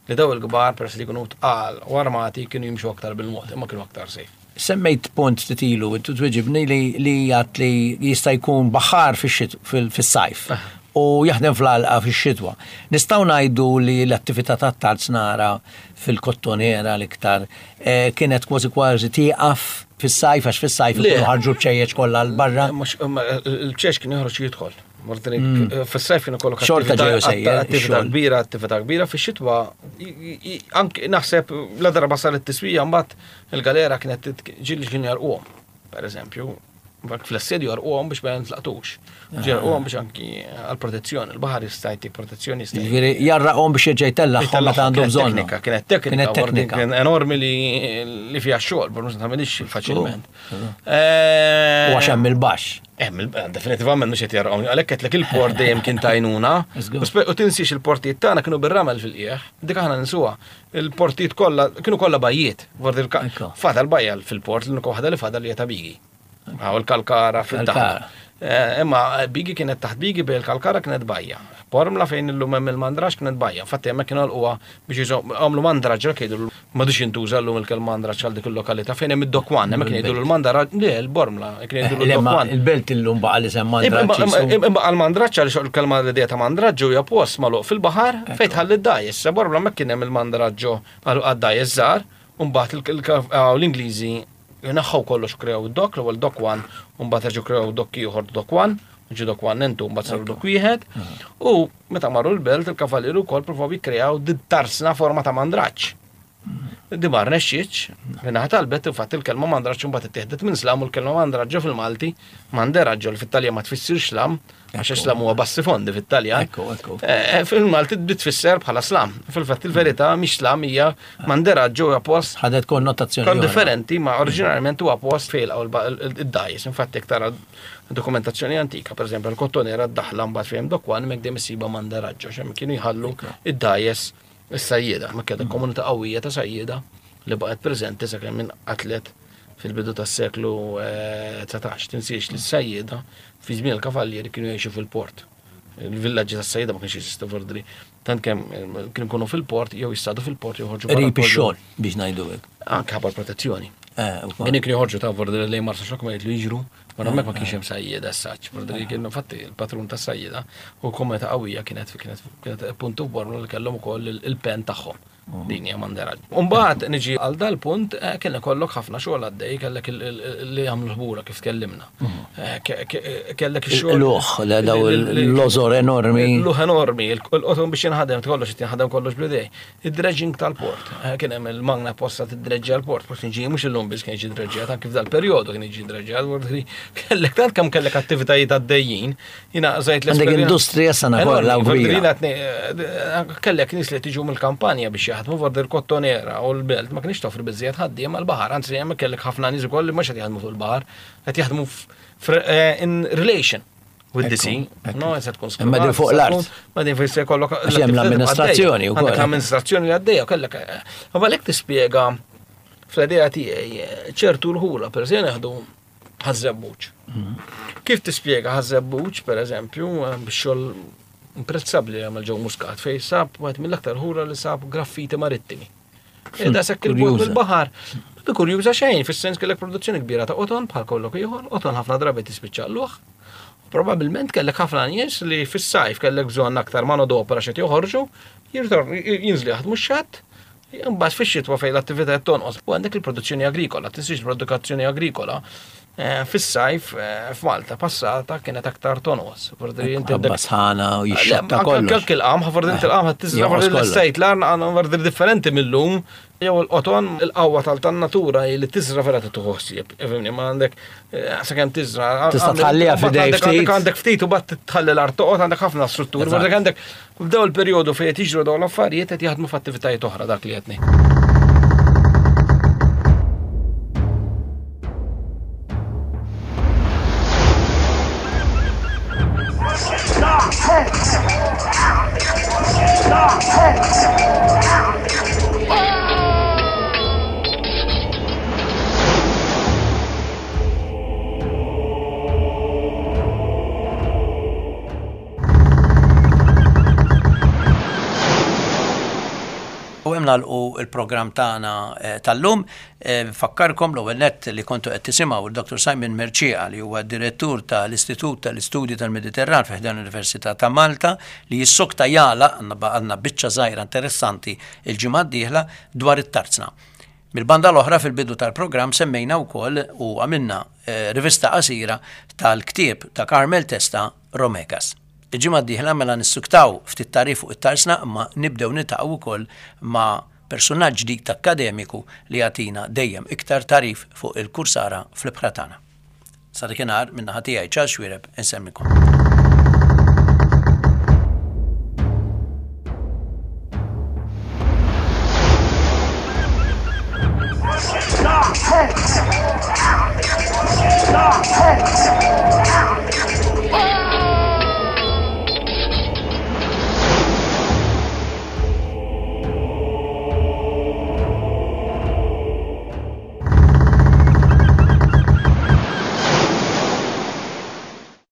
Speaker 3: li daw il-kbar peress li jkunu tqal u armati kienu jimxu aktar bil-mod, imma kienu aktar safe.
Speaker 1: Semmejt punt titilu, intu tweġibni li li għat li jista' jkun baħar fix-xit- fil- fis-sajf u jaħdem fl-għalqa fix-xitwa. Nistgħu ngħidu li l-attività tat-tarznara fil-kottonera l-iktar eh, kienet kważi kważi tieqaf fis-sajf għax fis-sajf
Speaker 3: Le.
Speaker 1: ikunu ħarġu bċejjeċ kollha 'l barra.
Speaker 3: Mhux imma il-ċex kien joħroġ jidħol. Mordri, Fis-sajf kienu kollok
Speaker 1: Xorta
Speaker 3: attività-
Speaker 1: ġew sejjer,
Speaker 3: attività
Speaker 1: ix-xogħol.
Speaker 3: kbira, attività kbira fix-xitwa. i- i- Anke naħseb la darba saret tiswija mbagħad il-galera kienet tit- ġieli kienu jarquhom, per eżempju. Mbagħad fl-assedju jarquhom biex ma jintlaqtux. Ġieli jarquhom biex anki għal-protezzjoni, il-baħar jista' jtik protezzjoni jista'
Speaker 1: Jiġifieri jarraqhom biex jerġa' jtellagħhom meta għandu
Speaker 3: Kienet
Speaker 1: bżonn.
Speaker 3: Teknika, kienet teknika,
Speaker 1: Kienet
Speaker 3: vordi
Speaker 1: teknika.
Speaker 3: Kien enormi li, li fiha xogħol, bro, mhux tagħmilix faċilment.
Speaker 1: U għax hemm il-baxx.
Speaker 3: Hemm il- definitivament mhux qed jarqhom. Għalhekk qedlek il-port dejjem kien tajnuna.
Speaker 1: Żgur.
Speaker 3: U spe- U tinsiex il-portijiet tagħna kienu bir-ramel fil-qiegħ. Dik aħna ninsuha. Il-portijiet kollha kienu kollha bajjiet. Vordi il-
Speaker 1: Ekku.
Speaker 3: Fadal bajja fil-port, l-unika waħda li fadal hija ta' Bigi. Għaw il-Kalkara fil-daħla.
Speaker 1: Kalkara.
Speaker 3: Eh, Imma Bigi kienet taħt Bigi bej il-Kalkara kienet bajja. Pormla fejn illum hemm il-mandrax kienet bajja. Infatti hemmhekk kienu għalquha biex jiżom għamlu mandraġ ġa jgħidu m'għadux jintuża llum il-kelma mandraġ għal dik il-lokalità fejn hemm id-dokwan, hemmhekk kienu jgħidu l-mandraġ, le l-Bormla, kienu jgħidu
Speaker 1: Le, ma
Speaker 3: l-dokwan.
Speaker 1: il-belt illum baqa li semma
Speaker 3: Imma
Speaker 1: mandraġġ.
Speaker 3: imma għal-mandraġġ għaliex il-kelma l-idea ta' mandraġġu hija post magħluq fil-baħar fejn tħalli d-dajjes. Sa Bormla hemmhekk kien hemm il-mandraġġu għad-dajjes żgħar, u mbagħad il- il- l-Ingliżi naħħu kollox krew dok, l-ewwel dok one, u mbagħad reġgħu krew dok ieħor dok one, u ġie dok one entu mbagħad saru dok wieħed. U meta marru l-belt il-kavalieru wkoll provaw jikkreaw tarsna forma ta' mandraġġ. Di ma rnexxietx, minnaħa talbet infatti il-kelma mandraġġ mbagħad ittieħdet minn slam u l-kelma mandraġġo fil-Malti, manderaġġo li fit-Taljan ma tfissirx slam, għax slam huwa bassi fondi fit-Taljan.
Speaker 1: Ekku, ekku.
Speaker 3: Eh, Fil-Malti tbid tfisser bħala slam. Fil-fatt il-verità mhix slam hija manderaġġo huwa post
Speaker 1: Ħadet konnotazzjoni.
Speaker 3: kon
Speaker 1: oħra.
Speaker 3: differenti, ma oriġinarjament huwa post fejn id-dajjes. Infatti jekk tara dokumentazzjoni antika, per eżempju, il-kottonera d-daħla mbagħad fejn dokwan hemmhekk dejjem isiba manderaġġo, x'hemm kienu jħallu id-dajjes is-sajjieda, ma kienet komunità qawwija ta' sajjieda li baqgħet preżenti sakemm inqatlet fil-bidu tas-seklu eh, dsatax. Tinsiex li s-sajjieda fi żmien il-kavallieri kienu jgħixu fil-port. Il-villaġġi tas-sajjieda ma kienx jeżistu fordri. Tant kemm eh, kienu jkunu fil-port jew jistadu fil-port jew joħorġu barra
Speaker 1: Qrib
Speaker 3: kollu.
Speaker 1: ix-xogħol biex ngħidu hekk.
Speaker 3: Anke ħabba protezzjoni.
Speaker 1: Eh, ukoll.
Speaker 3: Kien kienu joħorġu ta' vordi li Marsaxlokk ma jitlu jiġru, ma hemmhekk ma kienx hemm sajjieda s-saċ. Vordi kien infatti il-patrun tas sajjieda u komunità qawwija kienet kienet kienet puntu f'Bormla li kellhom ukoll il- il-pen tagħhom. Din hija mandera. Umbagħad niġi għal dal-punt eh, kien ikollok ħafna xogħol għaddej, kellek il- il- li jagħmlu ħbura kif tkellimna. Eh, ke- ke- Kellek ix-xogħol.
Speaker 1: Il-luħ, la- daw il-lozor enormi.
Speaker 3: Luħ enormi, il-qoton biex jinħadem, kollox jinħadem kollox bl-idej. Id-dredging tal-port, eh, kien hemm il-magna posta tidreġġja l-port, port kien ġi mhux illum biss kien jiġi dreġġjat, anki f'dal perjodu kien jiġi dreġġjat, vordi kellek tant kemm kellek attivitajiet għaddejjin, jiena żajt
Speaker 1: Għandek
Speaker 3: l-esperjenza-
Speaker 1: industrija sana
Speaker 3: Enormi,
Speaker 1: kollha
Speaker 3: vordi
Speaker 1: kbira.
Speaker 3: jiena tni- eh, Kellek nies li tiġu mill-kampanja biex jaħdmu vordi l-kottonera u l-belt ma kienx toffri biżżejjed ħaddiem għall-baħar, anzi hemm kellek ħafna nies ukoll li mhux qed jaħdmu fuq il-baħar, qed jaħdmu f- fr- eh, in relation with the sea. No, se tkun
Speaker 1: Imma din fuq l-art.
Speaker 3: Ma din fejn se jkollok
Speaker 1: Għax hemm l-amministrazzjoni wkoll.
Speaker 3: Għandek l-amministrazzjoni li għaddejja kellek. eh, Ma għalhekk tispjega fl-idea tiegħi eh, ċertu rħula, per eżempju, jaħdu Ħaż-Żebbuġ. Kif tispjega Ħaż-Żebbuġ, per eżempju, eh, bix-xogħol imprezzabbli għamel Joe Muscat fej sab wieħed mill-aktar ħura li sab graffiti marittimi. E da sekk il-bot
Speaker 1: Kurjuża.
Speaker 3: mill-baħar. Bi kurjuża xejn, fis-sens kellek produzzjoni kbira ta' qoton bħal kollok ieħor, qoton ħafna drabi tispiċċa l-luħ. Probabilment kellek ħafna nies li fis-sajf kellek bżonn aktar manodopera xed joħorġu, jirtor jinżlu jaħdmu x-xatt, imbagħad fix-xitwa fejn l-attività qed tonqos. U għandek il-produzzjoni agrikola, tinsiex il-produzzjoni agrikola eh, fis-sajf eh, f'Malta passata kienet aktar tonqos. Vordi inti
Speaker 1: Ħabba sħana u jixxotta kollox.
Speaker 3: Anke il-qamħ, vordi inti il-qamħ tiżra
Speaker 1: Jonqos
Speaker 3: vordi
Speaker 1: kollox.
Speaker 3: l-sejt l-arn għandna vordi differenti mill-lum. Jew il-qoton, il-qawwa tal-natura li tiżra vera tieħu ħsieb. Ifhimni, ma għandek eh, sakemm tiżra.
Speaker 1: Tista'
Speaker 3: għandek-
Speaker 1: tħalliha f'idej
Speaker 3: għandek-
Speaker 1: ftit.
Speaker 3: Għandek ftit u bat tħalli l-art toqgħod għandek ħafna strutturi.
Speaker 1: Eżatt.
Speaker 3: Vordi għandek f'daw il-perjodu fejn qed jiġru dawn l-affarijiet qed jaħdmu f'attivitajiet oħra dak li qed ngħid.
Speaker 1: U hemm nagħlqu il-programm tagħna eh, tal-lum. Eh, Nfakkarkom l-ewwel nett li kontu qed tisimgħu il-Dr. Simon Mercieca li huwa direttur tal-Istitut tal-Istudji tal-Mediterran fi ħdan l-Università ta' Malta li jissokta jagħlaq għandna għandna biċċa żgħira interessanti il-ġimgħa d-dieħla dwar it-tarzna. Mil-banda l-oħra fil-bidu tal-programm semmejna wkoll u għamilna eh, rivista qasira tal-ktieb ta' Carmel Testa Romekas. Il-ġimgħa d-dieħla mela nissuktaw ftit tagħrif fuq it-tarsna imma nibdew niltaqgħu wkoll ma' personaġġ ġdid akkademiku li jagħtina dejjem iktar tagħrif fuq il-kursara fl-ibħra tagħna. Sa dakinhar min-naħa tiegħi Charles Xuereb inselmilkom.